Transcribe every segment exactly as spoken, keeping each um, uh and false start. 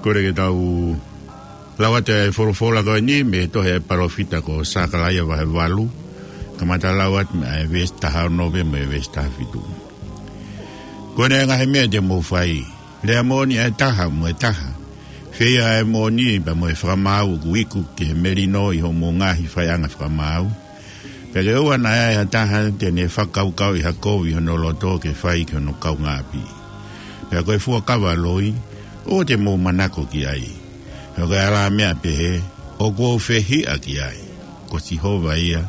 Kole ke tau lau atu e folofola ko eni mei he tohi ʻa e palōfita ko Sakalaia vahe valu, kamata lau atu mei he veesi taha ono pea mo e veesi taha fitu. Ko ena e ngaahi meʻa te mou fai: lea moʻoni ʻa e taha mo e taha, feia ʻa e moʻoni pea mo e fakamaau ʻoku iku ki he melino ʻi hoʻomou ngaahi faiʻanga fakamaau, pea ke ʻoua naʻa ʻi ai ha taha te ne fakakaukauʻi ha kovi ʻi hono loto ke fai ki hono kaungāʻapi. Pea ko e fuakava loi, ʻoua te mou manako ki ai. He ko e alā meʻa pehē ʻoku ou fehiʻa ki ai, ko Sihova ia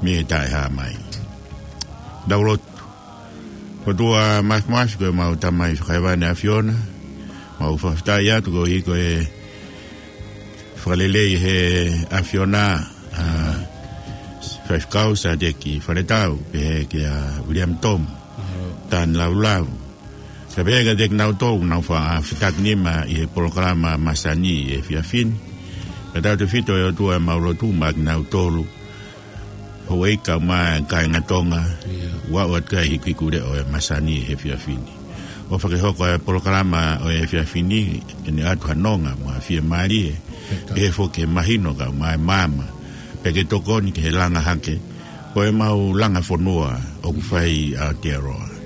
mei he taʻehāmai. Tau lotu. ʻOtua Māfimafi, ko ʻemau Tamai Fakahēvani ʻAfiona, mau fakafetaʻi atu koeʻuhi ko e fakalelei ʻe he ʻAfiona ʻa Faifekau Sāteki Faletau, pehē kia Viliami Tomu Tanilaulau, kae pehē kiate kinautolu ʻoku nau fa-, fetakinima ʻi he polokalama masani ʻi he efiafi ni. Fakatautefito ʻe ʻOtua ʻemau lotu maʻa kinautolu, houʻeiki kae ʻumaʻā e kāinga Tonga, ʻoku aʻu atu ki ai e hikuhikuleʻo ʻo e masani ʻi he efiafi ni. ʻOfa ke hoko e polokalama ʻo e efiafi ni ke ne ʻoatu ha nonga mo ha fiemālie, pehē foki ke mahino kae ʻumaʻā e maama, pea ke tokoni ki he langa hake ʻo ʻemau langa fonua ʻoku fai ʻi Aotearoa.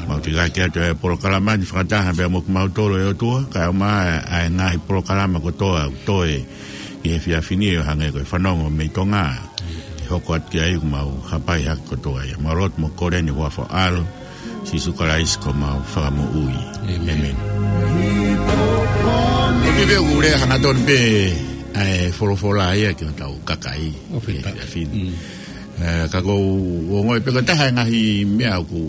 Mau tekeake atu e polokalama ni fakataha pea mo kimautolu ʻe ʻOtua, kae ʻumaʻā e ngaahi polokalama kotoa ʻoku toe ʻi he efiafi ni, ʻo hangē ko e Fanongo mei Tonga, ke hoko atu ki ai ʻoku mau hapai hake kotoa ia. Mau lotu mo kole ʻi he huafa ʻo ho ʻAlo, Sīsū Kalaisi ko homau Fakamoʻui. ʻĒmeni. ʻĒmeni. ʻOku ou tui pē ʻoku lea hangatonu pē ʻa e folofola ia ki hotau kakai ʻi he efiafi ni. Ē, ka ʻoku ou ongoʻi pē ko e taha e ngaahi meʻa ʻoku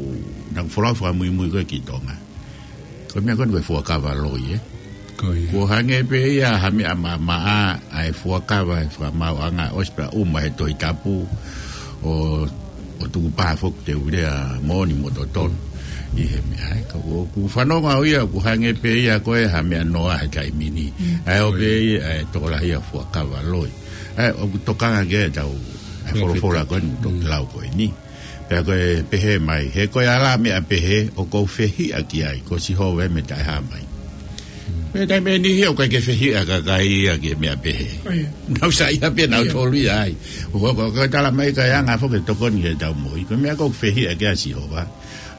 nau folau fakamuimui ko ē ki Tonga, ko e meʻa ko eni ko e fuakava loi, ē. Ko ia. Kuo hangē pē ia ha meʻa maʻamaʻa ʻa e fuakava ʻi he fakamaauʻanga, ʻosi pē ʻa e ʻuma he Tohi Tapu ʻo, ʻo tukupā foki ʻoku te u lea moʻoni mo totonu ʻi he meʻa, ē. Ka ʻoku ou fanongo au ia ʻoku hangē pē ia ko e ha meʻa noa he taimi ni. ʻA e ʻo pē ia ʻa e tokolahi ʻa e fuakava loi. ʻA e ʻoku tokanga ki ai ʻetau, ʻa e folofola ko eni ʻoku toki lau ko eni. Pea ko e pehē mai, he ko e alā meʻa pehē ʻoku ou fehiʻa ki ai, ko Sihova ia mei he taʻehāmai. Pea taimi ʻe niʻihi ʻoku ʻikai ke fehiʻa e kakai ia ki he meʻa pehē. Nau saiʻia pē nautolu ia ai. ʻOku, ʻoku, ʻoku tala mai ka e anga foki e tokoni ki heʻetau moʻui. Ko e meʻa ʻoku fehiʻa ki ai ʻa Sihova,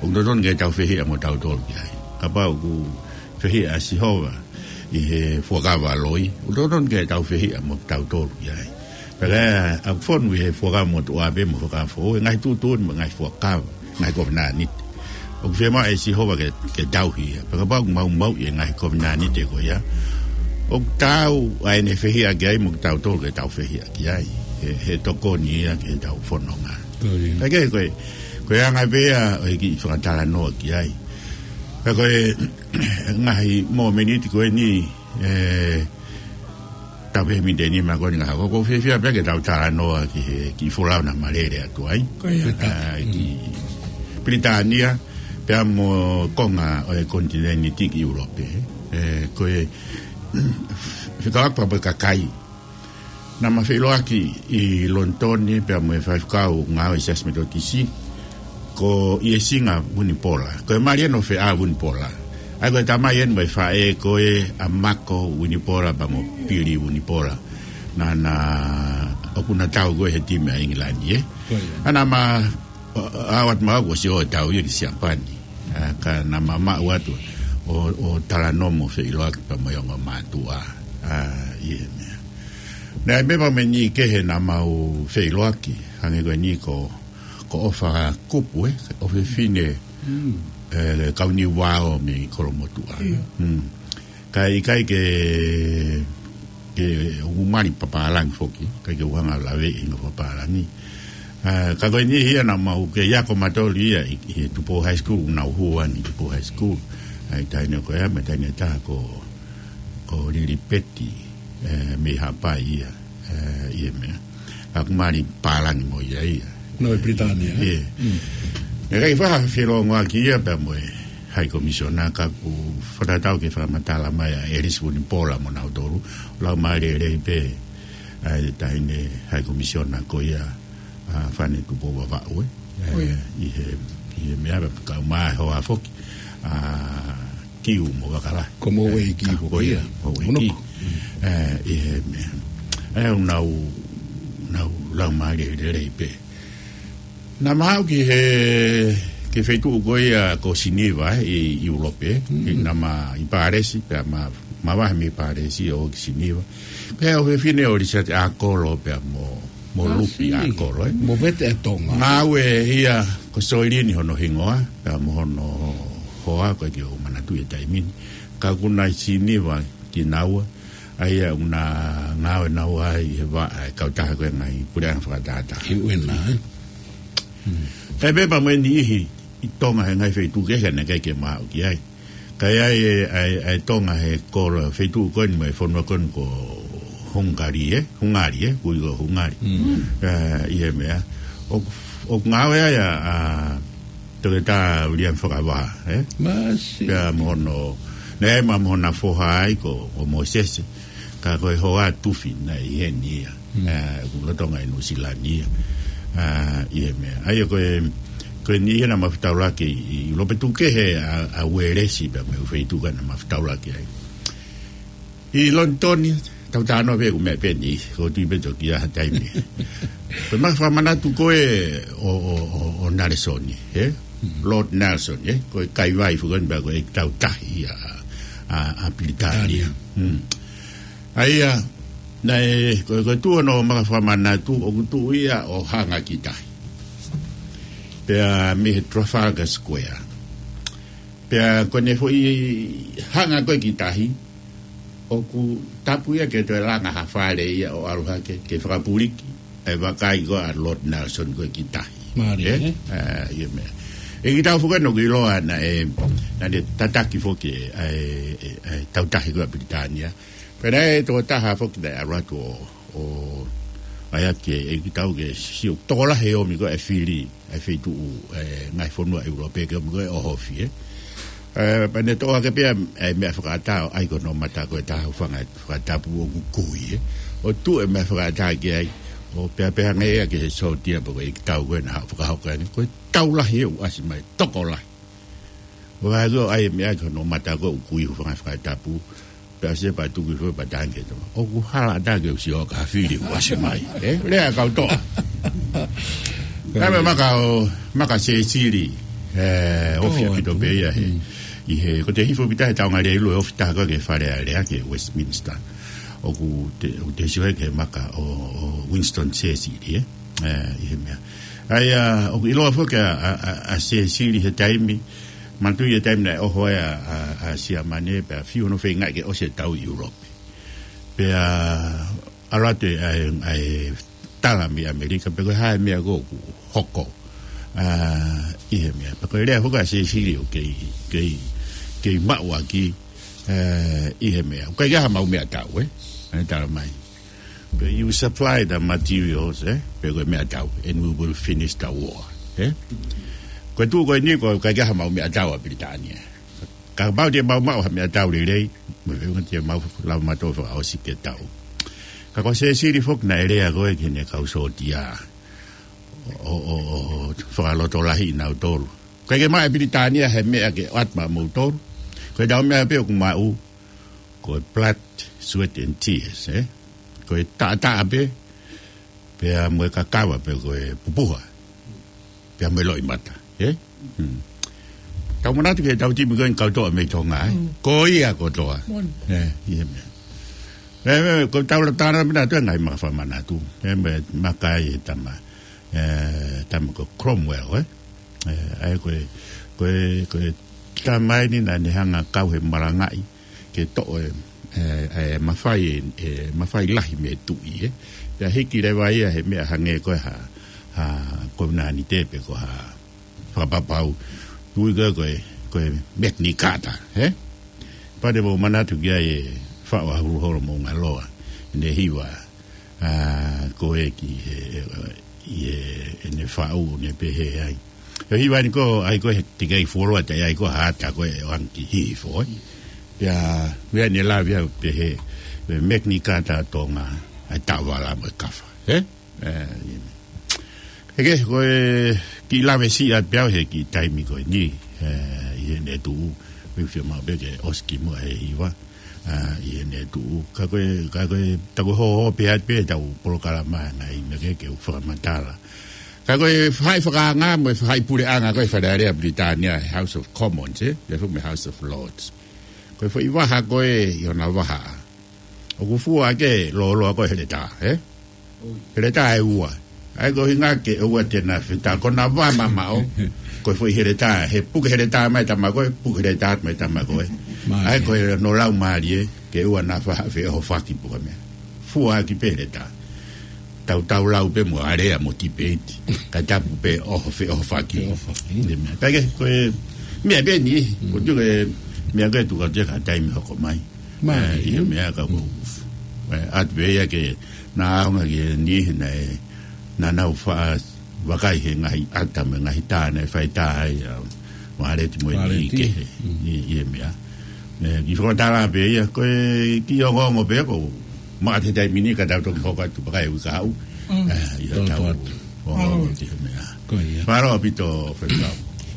ʻoku totonu ke tau fehiʻa mo tautolu ki ai. Kapau ʻoku fehiʻa ʻa Sihova ʻi he fuakava loi, ʻoku totonu ke tau fehiʻa mo tautolu ki ai. Pea ʻoku fonu ʻi he Fuakava Motuʻa pea mo e Fuakava Foʻou e ngaahi tuʻutuʻuni mo e ngaahi fuakava, ngaahi kovinānite ʻoku fiemaʻu ʻe Sihova ke, ke tauhi ia. Pea kapau ʻoku mau maʻu ʻi he ngaahi kovinānite ko ia, ʻoku taau ʻa ʻene fehiʻa ki ai mo kitautolu ke tau fehiʻa ki ai. He, he tokoni ia ki heʻetau fononga. Ko ia. Pea ko e, ko e anga pē ia ʻo e kiʻi fakatalanoa ki ai. Pea ko e ngaahi mōmeniti ko eni, ē, tau pehē miniti ʻe nima ko eni ngaahi, ʻoku ou fiefia pē ke tau talanoa ki he kiʻi folau naʻa ma lele atu ai. Ko ia. Ā, ki Pilitānia, pea mo e konga ʻo e konitinēniti ki ʻIulope. Ē, ko e fekauʻaki pea mo e kakai naʻa ma feʻiloaki ʻi Lonitoni pea mo e faifekau ngāue ʻi he Siasi Metotisi, ko ʻIesinga Vunipola. Ko e mali ʻeni ʻo Feʻā Vunipola. ʻA ia ko e tamai ʻeni mo e faʻē ko ē ʻa Mako Vunipola pea mo Pili Vunipola, naʻa na, ʻoku na tau ko ē he timi ʻa ʻIngilani, ē. Ko ia. Naʻa ma, ʻa, ʻa, ʻoatu maʻu kuo ʻosi ʻo tau ia ki Siapani. Ā, ka naʻa ma maʻu atu ʻo, ʻo talanoa mo feʻiloaki pea mo e ongo mātuʻa. Ā, ʻi he meʻa. Naʻe ʻi ai pē mo e niʻihi kehe naʻa mau feʻiloaki, hangē ko eni ko, ko ʻOfa Kupu, ē, ʻofefine, ē, Kauniuao mei Kolomotuʻa. Kae ʻikai ke, ke u mali papālangi foki, ʻikai ke u hanga ʻo laveʻi ʻi he papālangi. Ā, ka ko e niʻihi ia naʻa mau kei ako matoli ia ʻi, ʻi he Tupou High School, naʻa nau hū ʻeni ʻi Tupou High School. ʻA e taʻahine ko ia, mo e taʻahine ʻe taha ko, ko Lilipeti, ē, mei Haʻapai ia, ē, ʻi he meʻa. ʻOku mali pālangi mo ia ia. Naʻe ʻi Pilitānia, ē? ʻIo. ʻE ʻikai faʻa felōngoaki ia pea mo e High Commissioner, ka ʻoku fakatatau ki he fakamatala mai ʻa ʻElisi Vunipola mo nautolu, lau mai lelei pē ʻa e taʻahine High Commissioner ko ia, ʻa Fane Tupou Vavaʻu, ē. ʻIo. ʻI he, ʻi he meʻa pea kau mai hoa foki ʻa Kiu mo Vakala. Ko Moueiki. Ka ko ia, Moueiki. Mono. ʻE, ʻi he meʻa. ʻE, ʻoku nau, nau laumālie lelei pē. Naʻa mau ō ki he, ki he feituʻu ko ia ko Siniva, ʻi, ʻi ʻIulope, ʻi, naʻa mau ʻi Pālesi, pea ma, mavahe mei Pālesi ʻo ō ki Siniva. Ko e ʻofefine ʻo Lisiate ʻAkolo pea mo, mo Lupi ʻAkolo, ē. Mo Vete ʻa Tonga. Ngāue ia ko Soilini hono hingoa, pea mo hono hoa ko e ʻikai ke u manatuʻi e taimi ni. Ka ʻoku nau ʻi Siniva kinaua, ʻa ia ʻoku nau ngāue naua ʻi he vaʻa ʻa e kautaha ko e ngaahi puleʻanga fakatātā. ʻI ʻUena, ē? Kae pehē pea mo e niʻihi ʻi Tonga he ngaahi feituʻu kehe naʻe ʻikai ke mau ō ki ai. Ka ʻi ai e, ʻa e, ʻa e Tonga he kolo feituʻu ko eni mo e fonua ko eni ko Hungari, ē? Hungari, ē? Kui ko Hungari. ʻE, ʻi he meʻa. ʻOku, ʻoku ngāue ai ʻa, ʻa Toketā Viliami Fakavaha, ē? Pea mo hono, naʻe ʻi ai mo hono foha ai ko, ko Mōsese. Ka ko e hoa tufi naʻe ʻi heni ia. ʻE, ʻoku lolotonga ʻi Nuʻusila ni ia. ʻE, ʻi he meʻa. ʻA ia ko e, ko e niʻihi naʻa mau fetaulaki ʻi, ʻi ʻIulope tuku kehe ʻa, ʻa Uēlesi pea mo e feituʻu ko ē naʻa mau fetaulaki ai. ʻI Lonitoni, tau talanoa pē ʻoku meʻa pē ni, ko e tui pē toki ʻi ha taimi. Ko e meʻa fakamanatu ko ē ʻo, ʻo, ʻo, ʻo Nalesoni, ē? Lord Nelson, ē? Ko e kaivai foki eni pea ko e ʻEiki Tau Tahi ʻa, ʻa, ʻa Pilitānia. ʻA ia, naʻe, ko, ko e tuʻu hono maka fakamanatu, ʻoku tuʻu ia ʻo hanga ki tahi. Pea mei he Trafalgar Square. Pea ko ʻene foʻi hanga ko ē ki tahi, ʻoku tapu ia ke toe langa ha fale ia ʻo ʻalu hake, ke fakapuliki e vakai ko ē ʻa Lord Nelson ko ē ki tahi. Mālie, ē? ʻE, ʻi he meʻa. ʻEiki Tau foki eni ʻoku ʻiloa naʻe, naʻa ne tataki foki ʻa e, ʻa e, ʻa e Tau Tahi ko ē ʻa Pilitānia. Pea naʻe tokotaha foki naʻe ʻalu atu ʻo, ʻo ʻai ake ʻEiki Tau ke sio tokolahi e ʻomi ko ē e fili ʻa e feituʻu, ʻa e ngaahi fonua ʻIulope ke ʻomi ko ē ʻo ʻohofi, ē. ʻE, pea ne toʻo hake pē ʻa e meʻa fakaʻatā ʻo ʻai ki hono mata ko e taha hūfanga fakatapu ʻoku kui, ē. ʻO tuʻu e meʻa fakaʻatā ki ai, ʻo pehē pē hangē ia ki he sōtia pe ko e ʻEiki Tau ko ē naʻa haʻu fakahoko eni. Ko e tau lahi ē ʻoku ʻasi mai, tokolahi. ʻO ʻai ko ē ʻo ʻai e meʻa ki hono mata ko ē ʻoku kui hūfanga fakatapu. Pea ʻosi pea tuku hifo pea tangi to. ʻOku hala ʻatā ke u sio ki ha fili ʻoku ʻasi mai. Ē? Lea kau toa. Ka me maka ʻo, maka Sēsili. ʻE, ʻofi ʻaupito pē ia he. ʻI he, ko e hifo pē taha he taʻu ngali ʻe ʻiloa ʻofi taha ko ē ki he Fale Alea ki he Westminster. ʻOku te, ʻoku te sio ki he maka ʻo, ʻo Winston Sēsili, ē? ʻE, ʻi he meʻa. ʻA ia, ʻoku ʻiloa foki ʻa, ʻa, ʻa, ʻa Sēsili he taimi, manatuʻi e taimi naʻe ʻoho ai ʻa, ʻa, ʻa Siamane, pea fiu hono feingaʻi ke ʻosi e tau ʻi ʻIulope. Pea ʻalu atu e, ʻa e, ʻa e tala mei ʻAmelika, pe ko e hā e meʻa ko ē ʻoku hoko. ʻA, ʻi he meʻa. Pea ko e lea foki ʻa Sēsili ʻoku kei, kei, kei maʻu ʻaki, ʻe, ʻi he meʻa. ʻOku ʻikai ke ʻi ai haʻamau meʻatau, ē? ʻA e tala mai. Pe you supply the materials, ē? Pe ko e meʻatau, and we will finish the war, ē? Ko e tuʻu ko eni ko e ʻikai ke ʻi ai haʻamau meʻatau ʻa Pilitānia. Kapau te mau maʻu ha meʻatau lelei, mo e feʻunga te mau lava mautolu fakaʻosi ke tau. Ka ko Sēsili foki naʻe lea ko ē ki heʻene kau sōtia. ʻO, ʻo, ʻo, ʻo fakalotolahiʻi nautolu. ʻIkai ke maʻu ʻe Pilitānia ha meʻa ke ʻoatu maʻamoutolu. Ko ʻetau meʻa pē ʻoku maʻu, ko e blood, sweat and tears, ē? Ko e taʻataʻa pē, pea mo e kakava pē ko e pupuha. Pea mo e loʻimata, ē? Hmm. Tau manatu ki heʻetau timi ko eni kau toa mei Tonga, ē? Ko ia kotoa. ʻE, ʻi he meʻa. ʻE, ʻe, ko ʻetau talanoa pē naʻa toe ngaahi maka fakamanatu. ʻE, meʻa, maka ʻi he tama. ʻE, tama ko Cromwell, ē? ʻE, ʻa ia ko e, ko e, ko e tama eni naʻa ne hanga kau he malangaʻi ke toʻo e, e, e mafai, e, e mafai lahi mei he tuʻi, ē. Pea hiki leva ia he meʻa hangē ko e ha, ha kovinānite pe ko ha fakapapau. Ui ko e, ko e, ko e Magna Carta, ē. Pea te mou manatu ki ai e faʻu ʻa Huluholo Moʻungaloa, ʻene hiva, ʻa, ko e ki he, e, ʻi he, ʻene faʻu, ʻene pehē ai. ʻE hiva ni ko, ʻai ko e te kei fuoloa te ʻai ko ha ata ko e ʻoange ki Hihifo, ē. Pea, meʻa ne lave ai pehē, ʻe Magna Carta Tonga, ʻa e taʻovala mo e kafa, ē? ʻE, ʻi he meʻa. ʻE ke, ko e kiʻi lave siʻi atu pē au he kiʻi taimi ko eni, ʻe, ʻi heʻene tuʻu. Pea fiemaʻu pē ke ʻosi kimuʻa e hiva, ʻa, ʻi heʻene tuʻu. Ka ko e, ka ko e, ta ko e hoho pē atu pē ʻetau polokalama ngaahi meʻa ke, ke u fakamatala. Ka ko e faʻahi fakaanga mo e faʻahi puleʻanga ko e Fale Alea Pilitānia, House of Commons, ē? Pea foki mo e House of Lords. Ko e foʻi vaha ko ē ʻi hona vaha. ʻOku fua ke lōloa ko e heletā, ē? Heletā ʻe ua. ʻA ia ko e ʻuhinga ke ʻoua te na fetā, ko ʻena vā mamaʻo. Ko e foʻi heletā, he puke heletā mai tama ko ē, puke heletā mai tama ko ē. Mai. ʻA ia ko e no lau mālie, ke ʻoua naʻa faʻa feʻohofaki puka meʻa. Fua ki pē heletā. Tau tau lau pē mo alea mo tipeiti. Ka tapu pē ʻoho feʻohofaki. Feʻohofaki. Ko e meʻa. Ka ke, ko e meʻa pē ni, ko e tuku e meʻa ko e tuku atu ka taimi hoko mai. Mai. ʻE, ʻi he meʻa ka ko. ʻE, ʻatu pē ia ke na aonga ki he niʻihi naʻe, naʻa nau faʻa vakai he ngaahi ʻata mo e ngaahi tā naʻe fai tā ai ʻa Vāleti mo e niʻihi kehe ʻi, ʻi he meʻa. ʻE, kiʻi fakamatala pē ia, ko e kiʻi ongoongo pē ko, maʻa he taimi ni ka tau toki hoko atu pea kai uika au. ʻE, ʻi he tau ongoongo ki he meʻa. Ko ia. Mālō ʻaupito, Fekau.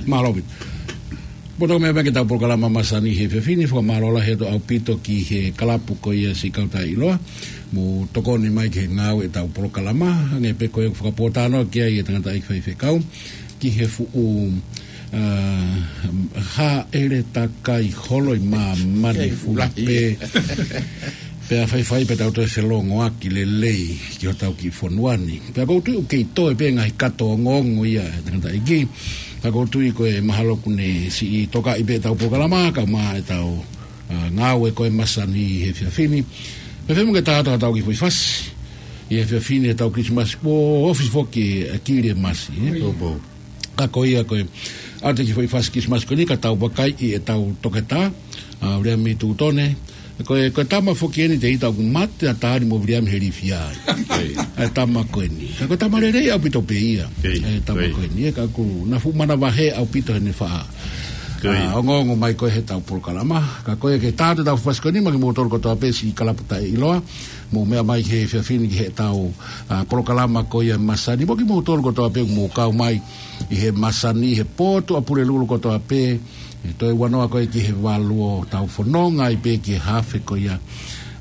Mālō ʻaupito. Poto meʻa mai ki heʻetau polokalama masani he efiafi ni, fakamālō lahi atu ʻaupito ki he kalapu ko ia Siʻi Kau Taʻeʻiloa, mo tokoni mai ki he ngāue ʻetau polokalama, hangē pē ko e fakapōtalanoa ki ai e tangataʻeiki faifekau, ki he fuʻu, ʻa, hāʻele takai holo ʻi māmani fuʻu lahi pē. Pea faifai pea tau toe felongoaki lelei ki hotau kiʻi fonua ni. Pea ʻoku ou tui ʻoku kei toe pē ngaahi kato ongoongo ia ʻa e tangataʻeiki. Pea ʻoku ou tui ko e mahalo kuo ne siʻi tokaʻi pē ʻetau polokalama, kae ʻumaʻā ʻetau, ʻa, ngāue ko e masani he efiafi ni. Pea fēfē mo ke tā atu haʻatau kiʻi foʻi fasi ʻi he efiafi ni, ʻetau Kilisimasi, kuo ofi foki ʻa e Kilisimasi, ē? Ka ko ia ko e, ʻa e kiʻi foʻi fasi Kilisimasi ko eni ka tau vakai ʻi heʻetau toketā, ʻa, Viliami Tutone. Ko e, ko e tama foki eni te ita ʻoku mate ʻa Tani mo Viliami he lifia ai. ʻA e tama ko eni. Ka ko e tama lelei ʻaupito pē ia. ʻA e tama ko eni. ʻE ka ʻoku na fuʻu manavahē ʻaupito heʻene faʻa, ʻa, ongoongo mai ko ē heʻetau polokalama. Ka ko ia ke tā atu ʻetau fasi ko eni, maʻa kimoutolu kotoa pē Siʻi Kalapu Taʻeʻiloa. Mou meʻa mai he efiafi ni ki heʻetau, ʻa, polokalama ko ia masani. Mo kimoutolu kotoa pē mou kau mai ʻi he masani, he potu ʻa Pulelulu kotoa pē, ʻe toe ua noa ko ē ki he valu ʻo tau fononga ai pē ki he hafe ko ia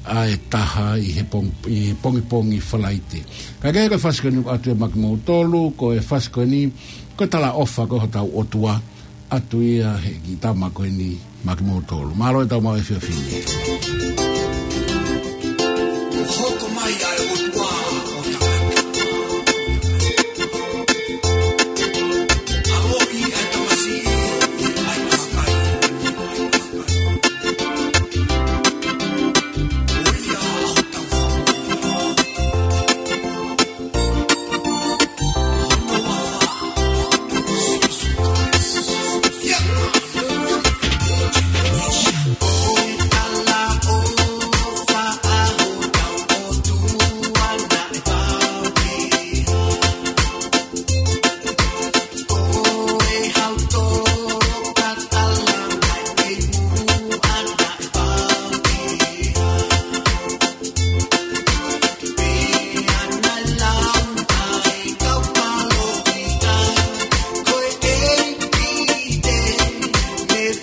ʻa e taha ʻi he pong-, ʻi he pongipongi Falaite. Ka ke ko e fasi ko eni ʻoatu ia maʻa kimoutolu, ko e fasi ko eni, ko e talaʻofa ko ē hotau ʻOtua, ʻoatu ia he kiʻi tama ko eni maʻa kimoutolu. Mālō ʻetau maʻu efiafi ni. Hoko mai ʻa e ʻOtua ʻo taʻengata. ʻAloʻi ʻa e tamasiʻi ʻi he ʻai ʻa e kakai. ʻO ia ʻa hotau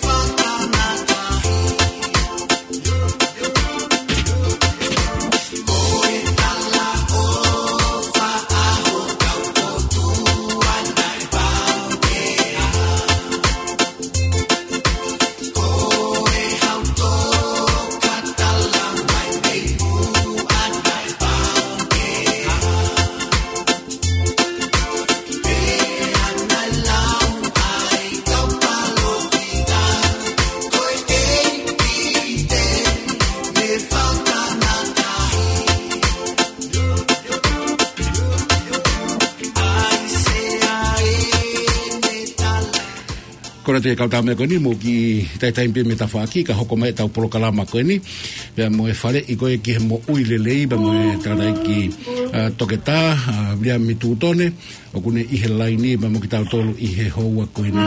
Fakamoʻui. Ko e lea ʻa e kau tama ko eni, mou kiʻi taimi pē mei tafaʻaki, ka hoko mai ʻetau polokalama ko eni. Pea mo e faleʻi ko ē ki he moʻui lelei, pea mo e tangataʻeiki, ʻa, toketā, ʻa, Viliami Tutone, ʻoku ne ʻi he laini, pea mo kitautolu ʻi he houa ko eni.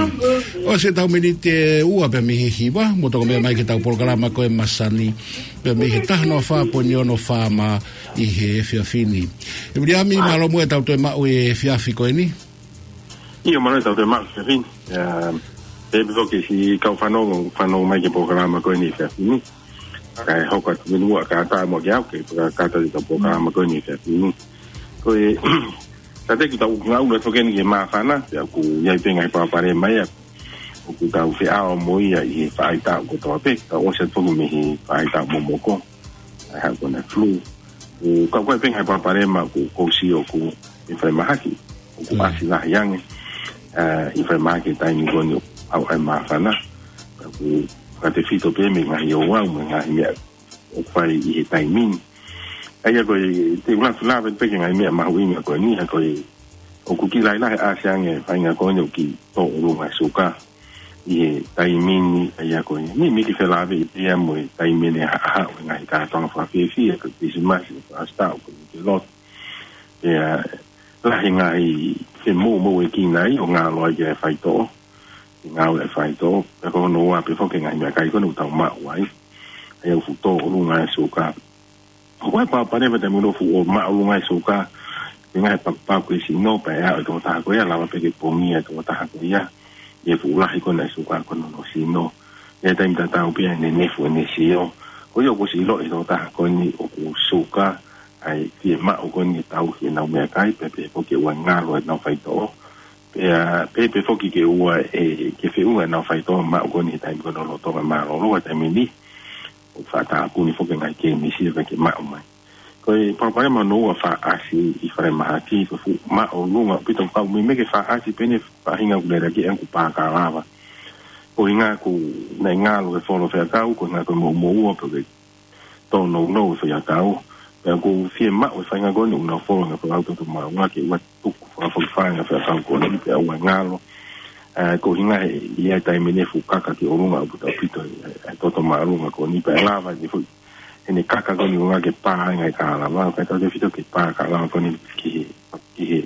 ʻOsi ʻetau miniti ʻe ua pē mei he hiva, mou toki meʻa mai ki heʻetau polokalama ko e masani, pea mei he taha noa fā poini ono FM ʻi he efiafi ni. ʻE Viliami, mālō muʻa ʻetau toe maʻu e efiafi ko eni. ʻIo, mālō ʻetau toe maʻu e efiafi ni. ʻIa, Pea pē foki siʻi kau fanongo, fanongo mai ki he polokalama ko eni he efiafi ni. Kae hoko atu mei muʻa kātaki mo ke au ke kātaki ki he polokalama ko eni he efiafi ni. Ko e, ʻoku tau ngāue atu foki eni ki he māfana, pea ʻoku ʻi ai pē ngaahi palopalema ia ʻoku tau feʻao mo ia ʻi he faʻahitaʻu kotoa pē, tau ʻosi atu foki mei he faʻahitaʻu momoko. ʻA e haʻu ko ena e flu. ʻOku kau ko ē pē ngaahi palopalema ʻoku, ʻoku ou sio ʻoku ʻi falemahaki, ʻoku Mm. ʻasi lahi ange, ā, ʻi falemahaki he taimi ko eni ʻoku ʻi ai e māfana. Ka ʻoku fakatefito pē mei he ngaahi ouau, mei he ngaahi meʻa ʻoku fai ʻi he taimi ni. ʻA ia ko e, te u lave pē ki he ngaahi meʻa mahuʻinga ko eni, ʻa ia ko e, ʻoku kiʻi lahilahi ʻasi ange e faʻahinga ko eni ʻoku kiʻi tō ʻolunga e suka ʻi he taimi ni, ʻa ia ko e, meimei kiʻi felāveʻi pea mo e taimi ʻe haʻahaʻa e ngaahi kātoanga fakafiefia, ko e Kilisimasi, ko e ʻAositā, ko e Nuke Lotu. Pea lahi e ngaahi femoumouʻekina ia ʻo ngalo ai ki he faitoʻo, ke ngalo e faitoʻo, pea ko hono ua pē foki e ngaahi meʻakai ko eni ʻoku tau maʻu ai, ʻa ia ʻoku fuʻu tō ʻolunga e suka. ʻOku ʻi ai e palopalema taimi ʻoku fuʻu ō maʻolunga e suka, ʻi he ngaahi pakupaku ki he sino, pea ʻe aʻu e tokotaha ko ia, lava pē ke pongia e tokotaha ko ia ʻi he fuʻu lahi ko ena e suka ko ena ʻi hono sino. ʻI he taimi tatau pē ʻe nenefu ʻene sio. Ko ia ʻoku ʻosi ʻiloʻi e tokotaha ko eni ʻoku suka, ʻa e fiemaʻu ko eni ke tauhi ʻenau meʻakai, pea pehē foki ke ʻoua ʻe ngalo ʻenau faitoʻo. Pea pehē pē foki ke ʻoua ʻe, ke feʻunga ʻenau faitoʻo maʻu ko eni he taimi ko ena lolotonga mālōlō, he taimi ni ʻoku faʻa tāpuni foki e ngaahi kēmisi ʻoku ʻikai ke maʻu mai. Ko e palopalema hono ua fakaʻasi ʻi falemahaki, ko e fuʻu maʻolunga ʻaupito, ka ʻoku meimei ke fakaʻasi pē eni he faʻahinga ʻoku lele ki ai ʻa e ʻū pā kalava. Ko e ʻuhinga ʻoku nau ngalo he folo faiako, ko e ʻuhinga ko e moʻumoʻua pe ko e tōnounou e faiako. Pea ʻoku fiemaʻu e faʻahinga ko eni ʻoku nau folo he ngaahi faiako toto māʻolunga ke ʻoua ʻe tuku fakafokifā e ngaahi faiako ko eni pea ʻoua ʻe ngalo. Ā, ko e ʻuhinga he, ʻi he taimi ni ʻoku fuʻu kaka ki ʻolunga ʻaupito ʻaupito e, e, e toto māʻolunga ko eni pea ʻe lava ke fuʻu ʻene kaka ko eni ʻo ʻuhinga ke pā e ngaahi kalava, kae tautefito ke pā e kalava ko eni ki he, ki he,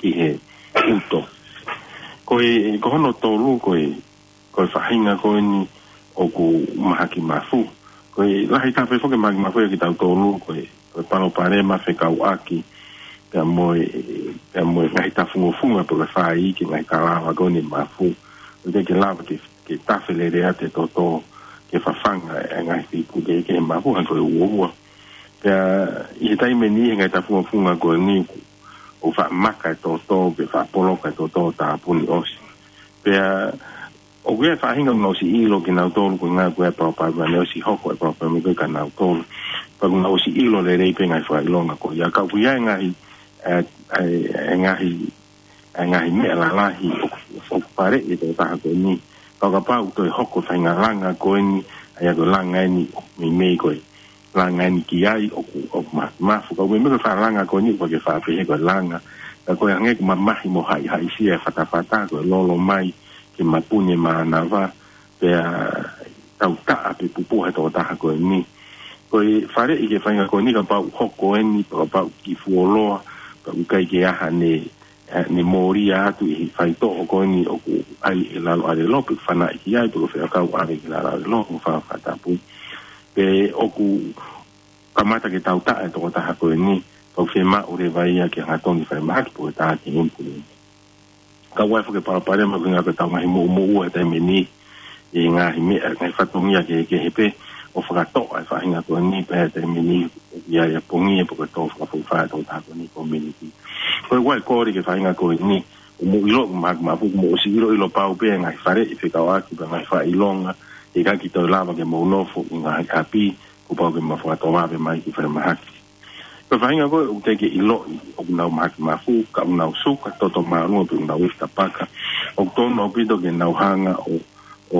ki he ʻuto. Ko e, ko hono tolu, ko e, ko e faʻahinga ko eni ʻoku mahaki mafu. Ko e lahi taha pē foki e mahaki mafu ʻia kitautolu, ko e, ko e palopalema fekauʻaki pea mo e, pea mo e ngaahi tafungofunga pe ko e fai ki he ngaahi kalava ko eni mafu. ʻOku ʻikai ke lava ke ke tafe lelei atu e toto ke fafanga e ngaahi fiku ke, ke mafu hangē ko e uoua. Pea ʻi he taimi ni he ngaahi tafungofunga ko eni ʻoku, ʻoku faʻa maka e toto, pe faʻa poloka e toto ʻo tāpuni ʻosi. Pea ʻoku ʻi ai e faʻahinga ʻoku nau ʻosi ʻilo kinautolu ko e ʻuhinga ko e palopalema ni ʻosi hoko e palopalema ko ē kia nautolu. Pea ʻoku nau ʻosi ʻilo lelei pē ngaahi fakaʻilonga ko ia ka ʻoku ʻi ai e ngaahi, e, e, e ngaahi ʻa e ngaahi meʻa lalahi ʻoku, ʻoku faleʻi e tokotaha ko eni. Ka ʻo kapau ʻoku toe hoko e faʻahinga langa ko eni, ʻa ia ko e langa eni ʻoku meimei ko e langa eni ki ai ʻoku, ʻoku ma-, mafu ka ʻoku meimei ko e faʻahinga langa ko eni ʻoku ke faʻa pehē ko e langa. Ka ko e hangē ʻoku mamahi mo haʻihaʻisia e fatafata ko e lolo mai ke mapuni e mānava, pea tautaʻa pe pupuha e tokotaha ko eni. Ko e faleʻi ki he faʻahinga ko eni kapau ʻoku hoko eni, pe kapau ʻoku kiʻi fuoloa, pe ʻoku ʻikai ke ʻi ai haʻane, ʻene mōlia atu ʻi he faitoʻo ko eni ʻoku ʻai ʻi lalo ʻālelo, pe ʻoku fanaʻi ki ai, pe ko e faiako ʻave ki lalo ʻālelo, mo fakatāpui. Pe ʻoku kamata ke tautaʻa e tokotaha ko eni, pea ʻoku fiemaʻu leva ia ke hangatonu ki falemahaki pe ko e tā ki he ʻimpuliniti. Ka ʻoku ʻi ai foki e palopalema ko e ʻuhinga ko ʻetau ngaahi moʻumoʻua he taimi ni, ʻi he ngaahi meʻa, ngaahi fatongia kehekehe pē, ʻo fakatoʻa e faʻahinga ko eni pea he taimi ni, ʻoku ʻi ai e pongia pe ko e tō fakafokifā e tokotaha ko eni ki he community. Ko e ʻuhinga e kole ki he faʻahinga ko eni, ʻoku mou ʻilo, mahaki mafu, ʻoku mou ʻosi ʻiloʻilo pau pē e ngaahi faleʻi fekauʻaki pea ngaahi fakaʻilonga, ʻikai ke toe lava ke mou nofo ʻi he ngaahi ʻapi, kuo pau ke mou fakatōvave mai ki falemahaki. Ko e faʻahinga ko ē ʻoku teʻeki ke ʻiloʻi ʻoku nau mahaki mafu, ka ʻoku nau suka toto māʻolunga pe ʻoku nau efu tapaka. ʻOku tonu ʻaupito ke nau hanga ʻo, ʻo,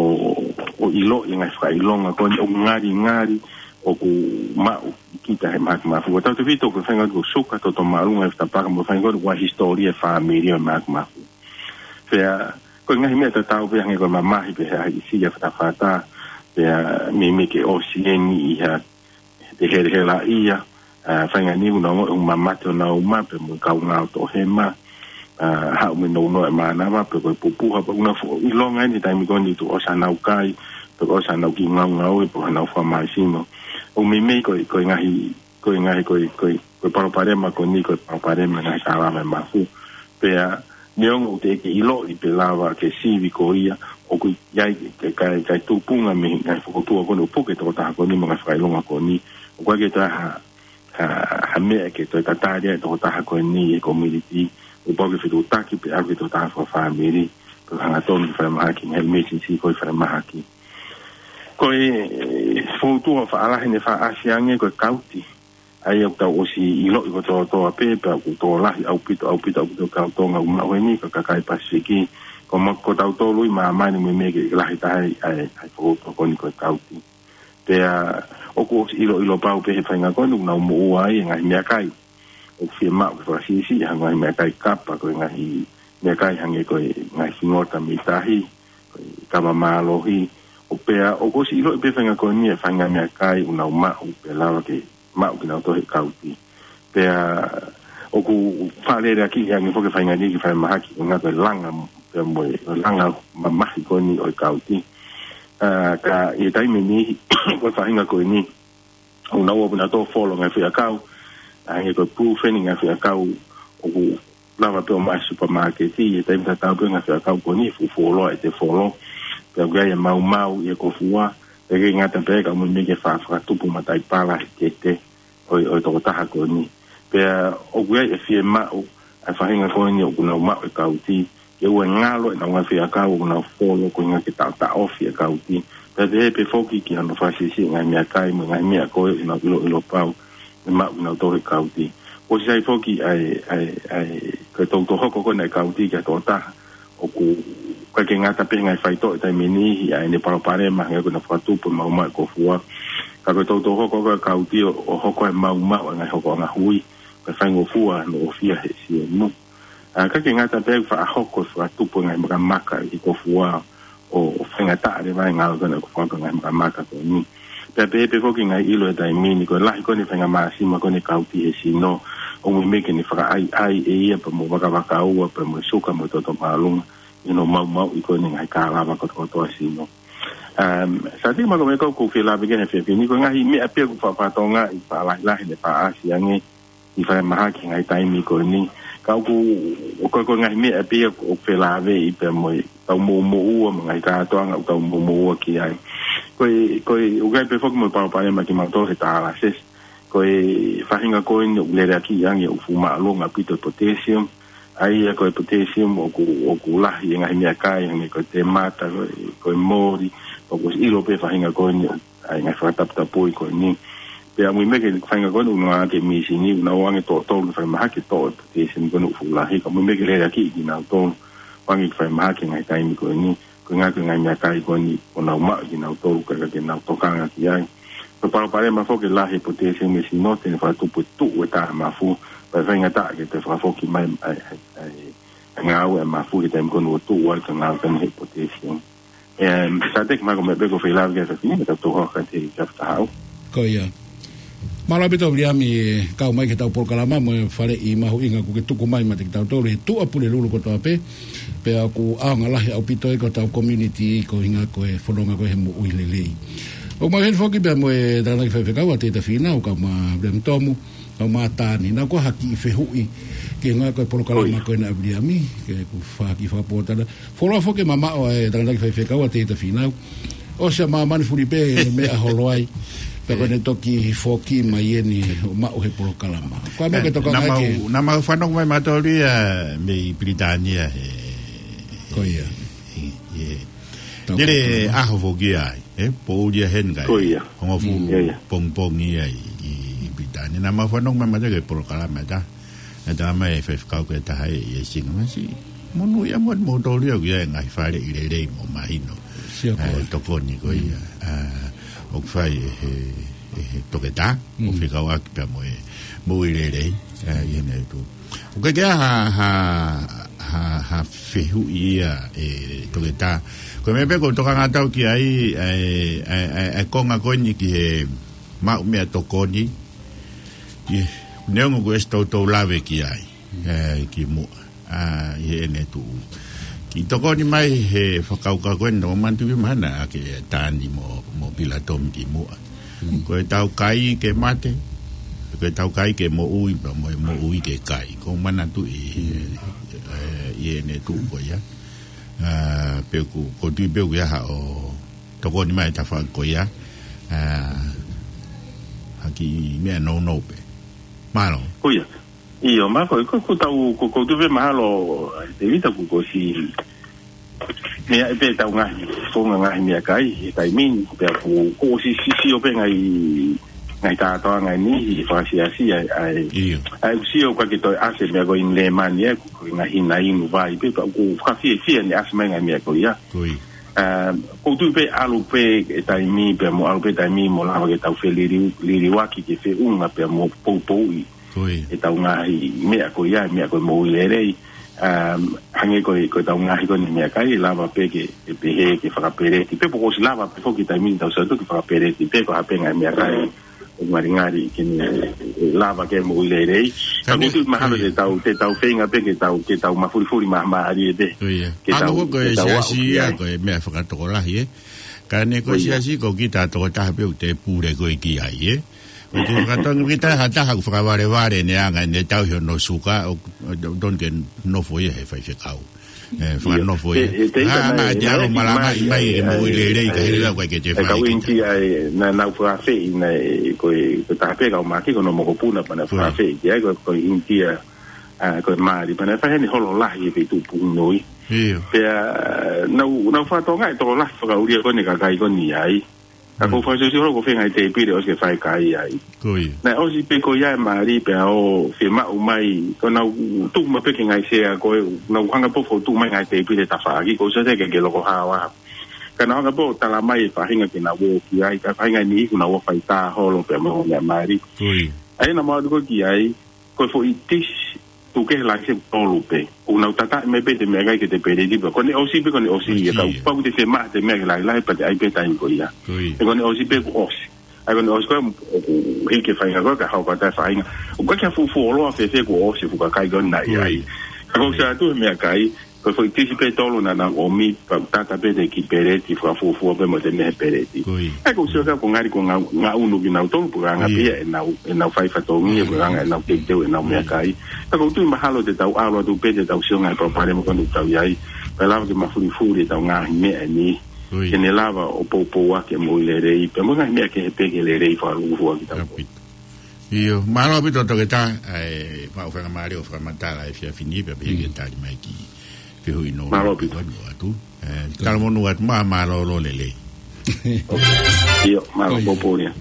ʻo ʻiloʻi e ngaahi fakaʻilonga ko eni ʻoku ngalingali ʻoku maʻu ʻe kita he mahaki mafu. Ko e tautefito ko e faʻahinga ko e suka toto māʻolunga, efu tapaka mo e faʻahinga ko ē ʻoku ʻi ai e hisitōlia e fāmili ʻo e mahaki mafu. Pea ko e ngaahi meʻa tatau pē hangē ko e mamahi pe haʻisia e fatafata, pea meimei ke ʻosi eni ʻi ha te helehelaʻia, ā, faʻahinga ni ʻoku nau ongoʻi ʻoku mamate honau uma, pea mo e kaungā ʻo e toʻohema, ā, haʻu mo e nounou e mānava, pe ko e pupuha, pea ʻoku nau fuʻu ʻilonga eni he taimi ko eni tuʻu ʻosi hanau kai, pe ko e ʻosi hanau kiʻi ngaungaue, pe ko hanau fakamāisino. ʻOku meimei ko e, ko e ngaahi, ko e ngaahi, ko e, ko e, ko e palopalema ko eni, ko e palopalema e ngaahi kalava e mafu. Pea Neongo ʻoku teʻeki ʻiloʻi pe lava ke sivi ko ia, ʻoku ʻi ai ke kai, kai tupunga mei he ngaahi fokoutua ko eni ʻoku puke tokotaha ko eni mo e ngaahi fakaʻilonga ko eni. ʻOku ʻikai ke toe ha, ha, ha meʻa ke toe tatali ai tokotaha ko eni he community. ʻOku pau ke fetuʻutaki pē ʻaki tokotaha fakafāmili, pe hangatonu ki falemahaki, ngaahi emergency ko e falemahaki. Ko e fokoutua faʻa lahi ʻene faʻa ʻasi ange ko e kauti. ʻA ia ʻoku tau ʻosi ʻiloʻi kotoa kotoa pē, pea ʻoku tokolahi ʻaupito, ʻaupito, ʻaupito kau Tonga ʻoku maʻu eni, ka kakai Pasifiki, ko ma-, ko tautolu ʻi māmani mo e meʻa ke lahi taha ai, ʻa e, ʻa e fokoutua ko eni ko e kauti. Pea ʻoku ʻosi ʻiloʻilo pau pē he faʻahinga ko eni ʻoku nau moʻua ai e ngaahi meʻakai. ʻOku fiemaʻu ke fakasiʻisiʻi ha ngaahi meʻakai kapa, ko e ngaahi meʻakai hangē ko e ngaahi fingota mei tahi, ko e kava mālohi, ʻo pea ʻoku ʻosi ʻiloʻi pē faʻahinga ko eni e faʻahinga meʻakai ʻoku nau maʻu pe lava ke maʻu kinautolu he kauti. Pea ʻoku faʻa leleakiʻi ange foki e faʻahinga ni ki falemahaki, ko e ngaahi ko e langa, pea mo e langa mamahi ko eni ʻo e kauti. ʻA, ka ʻi he taimi ni, ko e faʻahinga ko eni, ʻoku nau ō pē nautolu ʻo folo ngaahi feʻiakau, ʻa, hangē ko e Brufen, ngaahi feʻiakau ʻoku lava pē ʻo maʻu he supermarket, ʻi he taimi tatau pē ngaahi feʻiakau ko eni, fuʻu fuoloa ʻete folo. Pea ʻoku ʻi ai e maumau ʻi he kofua, pea ʻikai ngata pē ka ʻoku meimei ke faʻa fakatupu mataʻipala he kete ʻo e, ʻo e tokotaha ko eni. Pea ʻoku ʻi ai e fiemaʻu ʻa e faʻahinga ko eni ʻoku nau maʻu e kauti, ke ʻoua ʻe ngalo ʻenau ngaahi feʻiakau ʻoku nau folo ko e ʻuhinga ke taʻotaʻofi e kauti. Pea pehē pē foki ki hano fakasiʻisiʻi e ngaahi meʻakai mo e ngaahi meʻa ko ē ʻoku nau ʻiloʻilo pau ʻe maʻu kinautolu he kauti. ʻOsi sai foki ʻa e, ʻa e, ʻa e, ko e toutou hoko ko eni ʻa e kauti ki ha tokotaha ʻoku ʻikai ke ngata pē he ngaahi faitoʻo he taimi ni, ʻi ai ʻene palopalema, hangē ko ʻena fakatupu e maumau ʻi he kofua. Ka ko e toutou hoko ko ē ʻa e kauti ʻo, ʻo hoko e maumau ʻa e ngaahi hokoʻanga hui, ko e faingofua hono ʻofia he siemu. ʻA, ʻikai ke ngata pē ʻoku faʻa hoko e fakatupu e ngaahi makamaka ʻi he kofua ʻo, ʻo faingataʻa leva e ngāue ko ena ʻoku fakaʻaongaʻi e ngaahi makamaka ko eni. Pea pehē pē foki e ngaahi ʻilo he taimi ni, ko e lahi ko eni e faʻahinga māsima ko eni e kauti he sino, ʻoku meimei ke ne fakaʻaiʻai ʻe ia pea mo e vakavakaua pea mo e suka mo e toto māʻolunga ʻi hono maumauʻi ko eni e ngaahi kālava kotokotoa e sino. Um, Sāteki, mahalo ko e meʻa ʻoku ou fie lave ki ai he efiafi ni, ko e ngaahi meʻa pē ʻoku faʻa fatongia ʻi faʻa lahilahi ʻene faʻa ʻasi ange ʻi falemahaki he ngaahi taimi ko eni. Ka ʻoku, ʻoku, ko e ngaahi meʻa pē ia ʻoku, ʻoku felāveʻi pea mo e tau mou moʻua, mo e ngaahi kātoanga ʻoku tau mou moʻua ki ai. Ko e, ko e, ʻoku ʻi ai pē foki mo e palopalema kimautolu he dialysis. Ko e faʻahinga ko eni ʻoku leleakiʻi ange ʻoku fuʻu māʻolunga ʻaupito e potassium. ʻA ia ko e potassium ʻoku, ʻoku lahi e ngaahi meʻakai, hangē ko e temata, ko e, ko e moli, ʻoku ʻosi ʻilo pē faʻahinga ko eni ʻoku ʻi ai e ngaahi fakataputapui ko eni. Pea ʻoku meimei ke faʻahinga ko eni ʻoku nau ʻoange e mīsini, ʻoku nau ʻoange toʻo tolu ki falemahaki toʻo e potassium ko eni ʻoku fuʻu lahi, ka ʻoku meimei ke leleakiʻi kinautolu ʻoange ki falemahaki he ngaahi taimi ko eni, ko e ʻuhinga ko e ngaahi meʻakai ko eni ʻoku nau maʻu ʻe kinautolu ka ʻikai ke nau tokanga ki ai. Ko e palopalema foki e lahi e potassium he sino, te ne fakatupu e tuʻu e tā mafu, pea faingataʻa ke toe fakafoki mai ʻa e, ʻa e, ʻa e, ʻa e ngāue ʻa e mafu he taimi ko eni ʻoku tuʻu ai ka ngāue ko eni he potassium. Em, Sāteki, mahalo ko e meʻa pē ʻoku ou fie lave ki ai he efiafi ni, mo e tau tohoa ka te ka fakahaʻu. Ko ia. Mālō ʻaupito Viliami, kau mai ki heʻetau polokalama mo e faleʻi mahuʻinga kuo ke tuku mai maʻa kitautolu, ʻi he Tuʻapulelulu kotoa pē, pea ʻoku ʻaonga lahi ʻaupito ia ki hotau community, ko e ʻuhinga ko e fononga ko ē he moʻui lelei. ʻOku mau ʻi heni foki pea mo e Tangataʻeiki Faifekau ʻa Teita Fīnau, kae ʻumaʻā Viliami Tomu, kae ʻumaʻā Tani. Naʻa ku ʻai ha kiʻi fehuʻi ki he ngaahi ko e polokalama ko ena ʻa Viliami, ke ku fai ha kiʻi fakapōtalanoa. Fuoloa foki e mamaʻo ʻa e Tangataʻeiki Faifekau ʻa Teita Fīnau. ʻOsi ʻa māmani fuli pē e meʻa holo ai. Pea ko ʻene toki foki mai eni ʻo maʻu he polokalama. Ko e meʻa ke tokanga ki ai. Naʻa mau fanongo mai mautolu ia mei Pilitānia he. Ko ia. ʻI, ʻi, ʻi he. Tau nele polokalama. ʻAho foki ai. ʻE, poʻuli ia heni kai. Ko ia. Hongofulu pongipongi ia ʻi, ʻi Pilitānia. Naʻa mau fanongo mai mautolu ki he polokalama ʻe taha. ʻE talamai ʻe he faifekau ko ē ʻe taha ʻi he Singa Masi. Monūʻia moʻoni moutolu ia ʻoku ʻi ai e ngaahi faleʻi lelei mo mahino. Sio ko ē. Tokoni ko ia. ʻA, ʻoku fai ʻe he, ʻe he toketā. ʻO fekauʻaki pea mo e moʻui lelei. ʻA, ʻi heʻene tuʻu. ʻOku ʻikai ke ʻi ai ha, ha, ha, ha fehuʻi ia ʻe toketā. Ko e meʻa pē ʻoku ou tokanga atu ki ai, ʻa e, ʻa e, ʻa e, ʻa e konga ko eni ki he maʻu meʻatokoni. ʻIo, neongo kuo ʻosi toutou lave ki ai, ʻe, kimuʻa, ʻa, ʻi heʻene tuʻu. Kiʻi tokoni mai he fakakaukau ko eni, naʻa ku manatuʻi mahalo ʻa Tani mo, mo Pilatomi kimuʻa. Ko ʻetau kai ke mate, ko ʻetau kai ke moʻui, pea mo e moʻui ke kai. ʻOku ou manatuʻi, ʻe, ʻi ʻene tuʻu ko ia. ʻA, pea ʻoku, ʻoku ou tui pē ʻoku ʻi ai haʻo tokoni mai ʻe taha ko ia. ʻA, ha kiʻi meʻa nounou pē. Mālō. Ko ia. ʻIo, ma ko, ko, ko tau, ko, ʻoku ou tui pē mahalo, ʻe Tēvita ko, ko si, meʻa ʻe pē tau ngaahi, ko ngaahi meʻakai, he taimi ni, pea ko, ko si, si, sio pē ngaahi, ngaahi tātoanga ni, ʻi he fakasiasi, ʻa e, ʻa e, ʻio, ʻa e ʻoku sio ka ke toe ʻasi meʻa ko eni lēmani, ʻa e, ko, ko e ngaahi hina inu vai, pē, pea ʻoku fakafiefia ʻene ʻasi mai ngaahi meʻa ko ia. Ko ia. ʻA, ʻoku ou tui pē ʻalu pē e taimi, pea mo ʻalu pē taimi, mo lava ke tau feliliu, liliuaki ke feʻunga, pea mo poupouʻi. Ko ia. ʻE tau ngaahi meʻa ko ia, meʻa ko e moʻui lelei. Um, hangē ko e, ko e tau ngaahi ko eni meʻakai, lava pē ke, ke pehē, ke fakapeleti. Pea pe ko si lava pē foki taimi ni tau satu ke fakapeleti. Pea ko ha pē ngaahi meʻakai, ʻoku ngalingali ke ne, ʻe lava ke moʻui lelei. Ka ʻoku ou tui mahalo te tau, te tau feinga pē ke tau, ke tau mafulifuli mahamahali ʻe pē. Ko ia. Ke tau, ko e ke tau siasi aʻu ki ia, ai. Ko e meʻa fakatokolahi, ē. Ka ne ko e siasi ko kita tokotaha pē ʻoku te pule ko e ki ai, ē. Ko e te fakatonga kita ha taha ʻoku fakavalevale ne anga ne tau hono suka ʻo, ʻo, ʻo tonu ke nofo ia he faifekau. ʻE, fakanofo ia. Te, te, te, ʻa, ngaahi te alo malanga mai, mai, mai, ke moʻui lelei, ka hele lau kai ke te fai kau kita. Intia, ʻe, na, nau fakafeʻi, na, ʻe, ko e, ko e taha pē kau maki, ko hono mokopuna, pea na fakafeʻi, ʻe, ko, ko Intia, ʻa, ko e mali, pea na fai heni holo lahi he feituʻu Puhunui. ʻIo. Pea, nau, nau fakatonga e tokolahi fakaʻulia ko eni kakai ko eni ai. Ka ko e fakasiosi holo ko e feinga e tēpile ʻosi ke fai kai ai. Ko ia. Naʻe ʻosi pē ko ia e mali pea ʻo fiemaʻu mai. Ko nau tuku mai pē ke ngaahi sea ko e, nau hanga pē ʻo tuku mai ngaahi tēpile tafaʻaki, ko e sea ke, ke loko hawa. Ka nau hanga pē ʻo tala mai e faʻahinga ke nau ō ki ai, ka faʻahinga ni ʻoku nau ō fai tā holo pea mo e mali. Ko ia. ʻA ia naʻa mau ō ki ai, ko e foʻi tisi, tuku kehe laise tolu pē. ʻOku nau tataʻi mai pē te meʻakai ke te peleti pē. Ko ʻene ʻosi pē, ko ʻene ʻosi ia. Ka ʻoku pau ke te fiemaʻu ha meʻa ke lahilahi pea te ʻai pē taimi ko ia. Ko ia. ʻE ko ʻene ʻosi pē kuo ʻosi. ʻA ia ko ʻene ʻosi ko ē, ʻoku hiki e faʻahinga ko ē, ka hoko atu e faʻahinga. ʻOku ʻikai ke fuofua ʻilo ʻe fēfē kuo ʻosi e fuʻu kakai ko ē naʻe ʻi ai. Ko ia. Ka ko e sea atu he meʻakai, ko e foʻi tisi pē tolu naʻa nau ʻomi, pea tata pē te kiʻi peleti fakafuofua pē mo te meʻa he peleti. Ko ia. ʻE ko e sio ka ko e ngali ko e ngau, ngaunu kinautolu, pea anga pē ia ʻenau, ʻenau fai fatongia, pea anga ʻenau teuteu ʻenau meʻakai. Ka ʻoku ou tui mahalo te tau ʻalu atu pē te tau sio ngaahi palopalema ko eni ʻoku tau ʻi ai. Pea lava ke mafulifuli ʻetau ngaahi meʻa ni. Ko ia. Ke ne lava ʻo poupouaki e moʻui lelei. Pea mo e ngaahi meʻa kehe pē ke lelei fakalūkufua kitautolu. ʻIo, mālō ʻaupito toketā, ʻa e, mau fakamālō ʻo fakamatala e efiafi ni, pea pehē ke tali mai ki he fehuʻi nounou. Mālō ʻaupito. Pea ʻoatu. ʻE, talamonū atu, mā, mālōlō lelei. ʻIo, mālō, mou pōlia.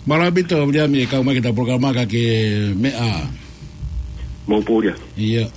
Mālō ʻaupito, Viliami, kau mai ki heʻeta polokalama ka ke meʻa. Mou pōlia. ʻIo.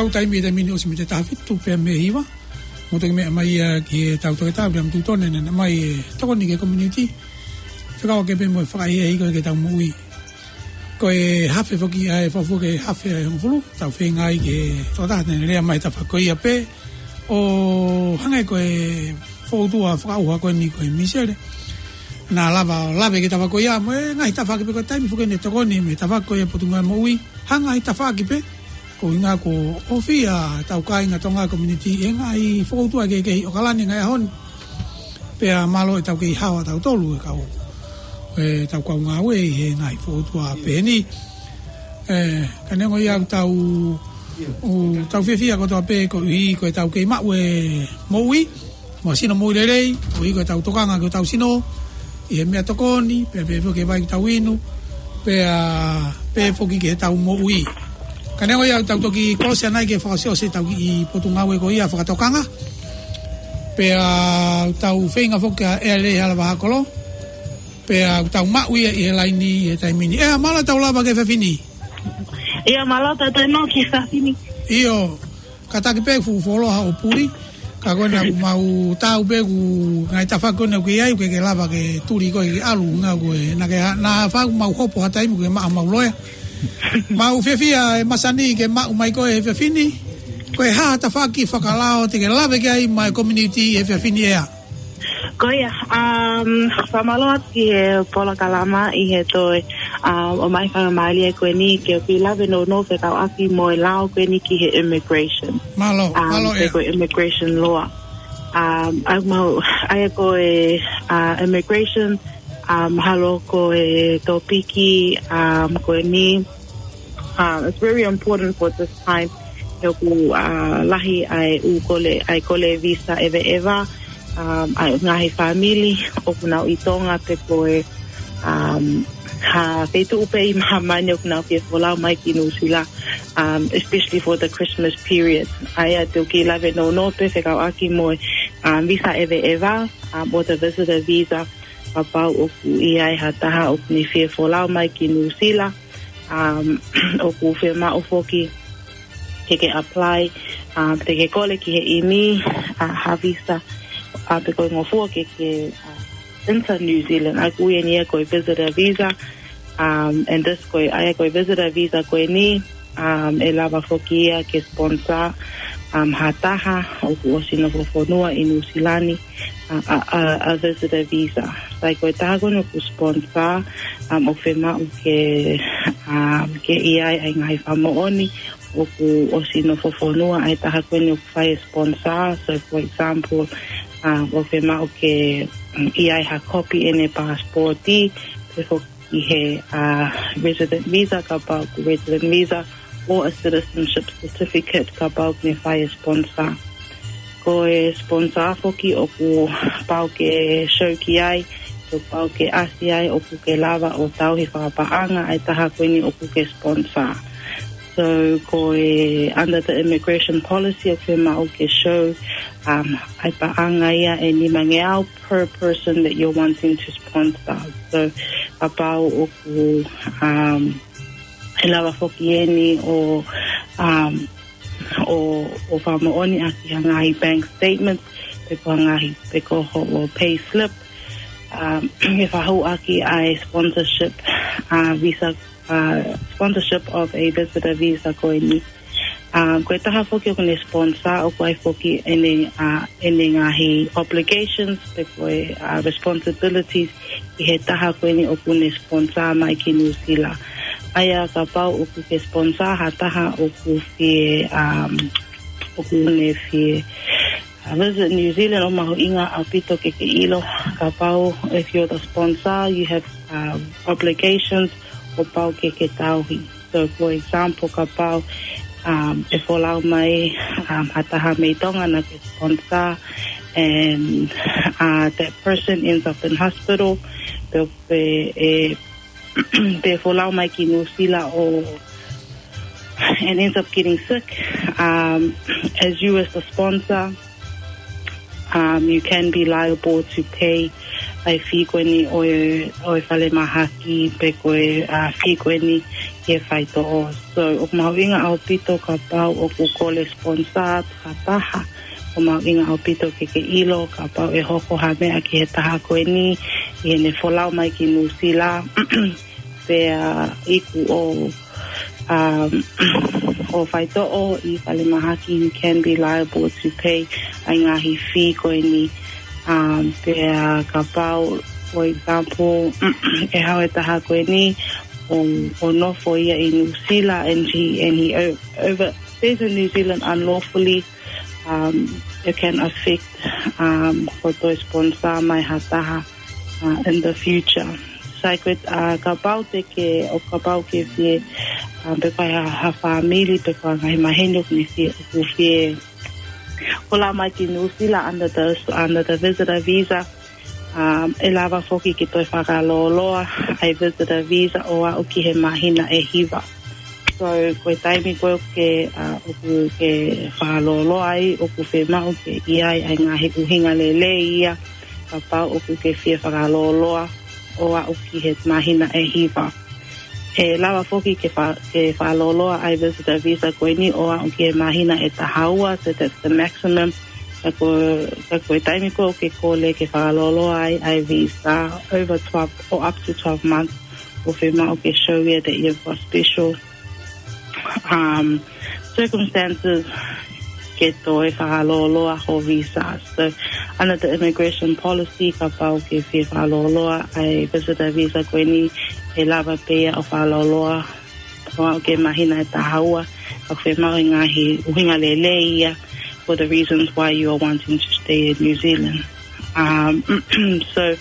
Tau taimi, taimi ni ʻosi mei he taha fitu pea mei he hiva. Mo toki meʻa mai ia ki he tau toketā, William Tutone, naʻe ʻomai e tokoni ki he community. Fekauʻaki pē mo e fakaʻehiʻehi ko ē ki heʻetau moʻui. Ko e hafe foki ʻa e fakafuofua ki he hafe ʻe hongofulu, tau feinga ai ke tokotaha te ne lea mai he tafaʻaki ko ia pē. ʻO hangē ko e fokoutua fakaʻauha ko eni ko e Misele. Naʻa lava ʻo lave ki he tafaʻaki ko ia, mo e ngaahi tafaʻaki pē ko e taimi foki ʻene tokoni mei he tafaʻaki ko ia Potungāue Moʻui. Ha ngaahi tafaʻaki pē, ko e ʻuhinga ko e ʻofa ʻa e tau kāinga Tonga community he ngaahi fokoutua kehekehe ʻi ʻAokalani he ngaahi ʻaho ni. Pea mālō ʻetau kei hao ʻatautolu e kau, ʻetau kau ngāue ʻi he ngaahi fokoutua pehē ni. Ē, ka neongo ia ʻoku tau, ʻoku tau fiefia kotoa pē koeʻuhi ko ʻetau kei maʻu e moʻui, mo e sino moʻui lelei, koeʻuhi ko ʻetau tokanga ki hotau sino, ʻi he meʻatokoni, pea pehē foki ki he vai ʻoku tau inu, pea pehē foki ki heʻetau moʻui. Ka neongo ia ʻoku tau toki kolosi ʻanai ke fakaʻosiʻosi ʻetau kiʻi potungāue ko ia fakatokanga. Pea ʻoku tau feinga foki ʻa ʻEa Lehalawa Hakolo. Pea ʻoku tau maʻu ia ʻi he laini ʻi he taimi ni. ʻEa, mālō e tau lava ki he efiafi ni. ʻIo, mālō e tau tau ki he efiafi ni. ʻIo, kātaki pē fuʻu fuoloa ʻo puli. Ka ko ena ʻoku mau tau pē ʻoku ngaahi tafaʻaki ko ena ʻoku ʻi ai, ʻoku ke lava ke tuli koe ke ʻalu, ngā ko e, naʻa ke ha-, naʻa faʻa mau hopo ha taimi ʻoku ke maʻu homau loea. Mau fiefia ʻe masani ke maʻu mai koe he efiafi ni. Ko e hā ha tafaʻaki fakalao te ke lave ki ai maʻa e community he efiafi ni, ʻEa? Ko ia, um, fakamālō atu ki he polokalama ʻi he toe, um, ʻomai faingamālie ko eni ke u kiʻi lave nounou fekauʻaki mo e lao ko eni ki he immigration. Mālō, um, mālō, ʻEa. Ko e immigration law. Um, ʻa ia ʻoku mau, ʻa ia ko e, uh, immigration, um, mahalo ko e tōpiki, um, ko eni, um, it's very important for this time. He ʻoku, uh, lahi ʻa e ʻū kole, ʻa e kole visa ʻeveʻeva, um, ʻa e ngaahi fāmili ʻoku nau ʻi Tonga pea ko e, um, ha feituʻu pē ʻi māmani ʻoku nau fie folau mai ki Nuʻusila, um, especially for the Christmas period. ʻA ia te u kiʻi lave nounou pē fekauʻaki mo e, um, visa ʻeveʻeva, um, ʻo e visitor visa, kapau ʻoku ʻi ai ha taha ʻoku ne fie folau mai ki Nuʻusila, um, ʻoku fiemaʻu foki ke ke apply, um, te ke kole ki he ʻimi, uh, ha visa, uh, pe ko e ngofua ke ke, uh, enter New Zealand, ʻa ia ʻoku ui eni ia ko e visitor visa, um, and this ko e, ʻa ia ko e visitor visa ko eni, um, ʻe lava foki ia ke sponsor, um, ha taha ʻoku ʻosi nofofonua ʻi Nuʻusila ni, a, a, a, a visitor visa. Sai ko e taha ko eni ʻoku sponsor, um, ʻoku fiemaʻu ke, um, ke ʻi ai ʻa e ngaahi fakamoʻoni ʻoku ʻosi nofofonua ʻa e taha ko eni ʻoku fai e sponsor. So, for example, um, ʻoku fiemaʻu ke, um, ʻi ai ha kopi ʻene passport, pe foki he, uh, resident visa, kapau ʻoku resident visa, or a citizenship certificate, kapau ʻoku ne fai e sponsor. Ko e sponsor foki ʻoku pau ke show ki ai, ʻoku pau ke ʻasi ai ʻoku ke lava ʻo tauhi fakapaʻanga ʻa e taha ko eni ʻoku ke sponsor. So, ko e under the immigration policy ʻoku fiemaʻu ke show, um, ʻa e paʻanga ia ʻe nimangeau per person that you're wanting to sponsor. So, kapau ʻoku, um, ʻe lava foki eni ʻo, um, ʻo, ʻo fakamoʻoniʻaki ha ngaahi bank statements, pe ko ha ngaahi, pe ko hoʻo pay slip, um, ke fakahūʻaki ʻa e sponsorship, uh, visa, uh, sponsorship of a visitor visa ko eni. Um, ko e taha foki ʻoku ne sponsor ʻoku ʻi ai foki ʻene, uh, ʻene ngaahi obligations, pe ko e, uh, responsibilities ʻi he taha ko eni ʻoku ne sponsor mai ki Nuʻusila. ʻA ia kapau ʻoku ke sponsor ha taha ʻoku fie, um, ʻoku ne fie, uh, visit New Zealand, ʻoku mahuʻinga ʻaupito ke ke ʻilo, kapau if you're the sponsor, you have, um, obligations ʻoku pau ke ke tauhi. So, for example, kapau, um, ʻe folau mai, um, ha taha mei Tonga naʻa ke sponsor, and, uh, that person ends up in hospital, pe, pe, ʻe, pe folau mai ki Nuʻusila ʻo, and ends up getting sick, um, as you as the sponsor, um, you can be liable to pay, ʻa e fee ko eni ʻo e, ʻo e falemahaki pe ko e, ʻa, fee ko eni ki he faitoʻo. So, ʻoku mahuʻinga ʻaupito kapau ʻoku kole sponsor ha taha. ʻOku mahuʻinga ʻaupito ke ke ʻilo kapau ʻe hoko ha meʻa ki he taha ko eni, ʻi heʻene folau mai ki Nuʻusila, pea iku ʻo, um, ʻo faitoʻo ʻi falemahaki, you can be liable to pay ʻa e ngaahi fee ko eni. Um, pea kapau, for example, ʻe haʻu e taha ko eni ʻo, ʻo nofo ia ʻi Nuʻusila, and he, and he o-, over, stays in New Zealand unlawfully, um, it can affect, um, ko e toe sponsor mai ha taha, uh, in the future. So, ko e, uh, kapau te ke, ʻo kapau ke fie, um, pe ko ha, ha fāmili, pe ko ha ngaahi maheni ʻoku ne fie, ʻoku fie folau mai ki Nuʻusila under the, under the visitor visa, um, ʻe lava foki ke toe fakalōloa ʻa e visitor visa ʻo aʻu ki he māhina ʻe hiva. So, ko e taimi ko ē ʻoku ke, uh, ʻoku ke fakalōloa ai, ʻoku fiemaʻu ke ʻi ai ʻa e ngaahi ʻuhinga lelei ia, kapau ʻoku ke fie fakalōloa ʻo aʻu ki he māhina ʻe hiva. ʻE lava foki ke fa-, ke fakalōloa ʻa e visitor visa ko eni ʻo aʻu ki he māhina ʻe taha ua, so that's the maximum. Ka ko, ka ko e taimi ko ē ʻoku ke kole ke fakalōloa ai ʻa e visa over twelve or up to twelve months, ʻoku fiemaʻu ke show ia that you've got special, um, circumstances ke toe fakalōloa ho visa. So, under the immigration policy, kapau ʻoku ke fie fakalōloa ʻa e visitor visa ko eni, ʻe lava pē ia ʻo fakalōloa ʻo aʻu ki he māhina ʻe taha ua, ʻoku fiemaʻu e ngaahi ʻuhinga lelei ia for the reasons why you are wanting to stay in New Zealand. Um, so,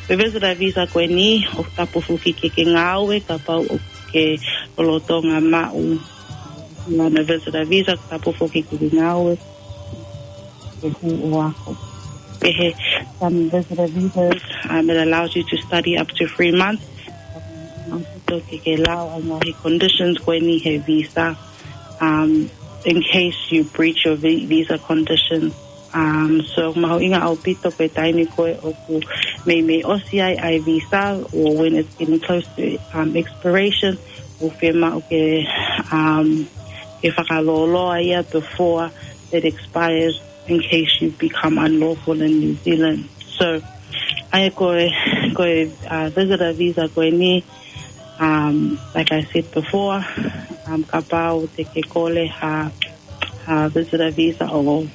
ko e visitor visa ko eni, ʻoku tapu foki ke ke ngāue, kapau ʻoku ke lolotonga maʻu ʻa e visitor visa, ʻoku tapu foki ke ke ngāue, ke hū ʻo ako. Pehē, some visitor visas, um, it allows you to study up to three months. So ke ke lau ʻa e ngaahi conditions ko eni he visa, um, in case you breach your vi-, visa conditions. Um, so mahuʻinga ʻaupito ko e taimi ko ē ʻoku meimei ʻosi ai ʻa e visa, or when it's getting close to, um, expiration, ʻoku fiemaʻu ke, um, ke fakalōloa ia before it expires, in case you become unlawful in New Zealand. So, ʻa ia ko e, ko e, uh, visitor visa ko eni, um, like I said before, um, kapau te ke kole ha, ha visitor visa ʻo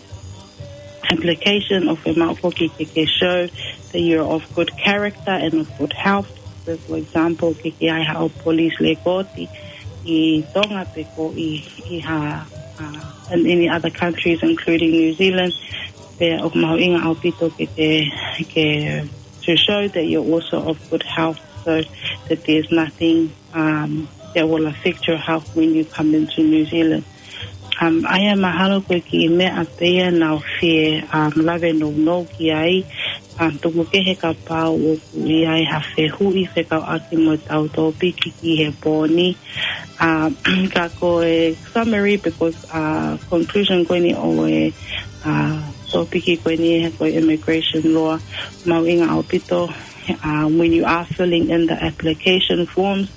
application, ʻoku fiemaʻu foki ke ke show that you're of good character and of good health. So, for example, ke ke ʻi ai haʻo police record ʻi Tonga pe ko e ʻi ha, uh, in any other countries, including New Zealand, pea ʻoku mahuʻinga ʻaupito ke ke, ke, to show that you're also of good health, so that there's nothing, um, that will affect your health when you come into New Zealand. Um, ʻa ia mahalo ko e kiʻi meʻa pē ia naʻa ku fie, um, lave nounou ki ai, um, tuku kehe kapau ʻoku ʻi ai ha fehuʻi fekauʻaki mo ʻetau tōpiki ki he pō ni. Uh, ka ko e summary pe ko e, uh, conclusion ko eni ʻo e, uh, tōpiki ko eni he ko e immigration law, mahuʻinga ʻaupito, uh, when you are filling in the application forms,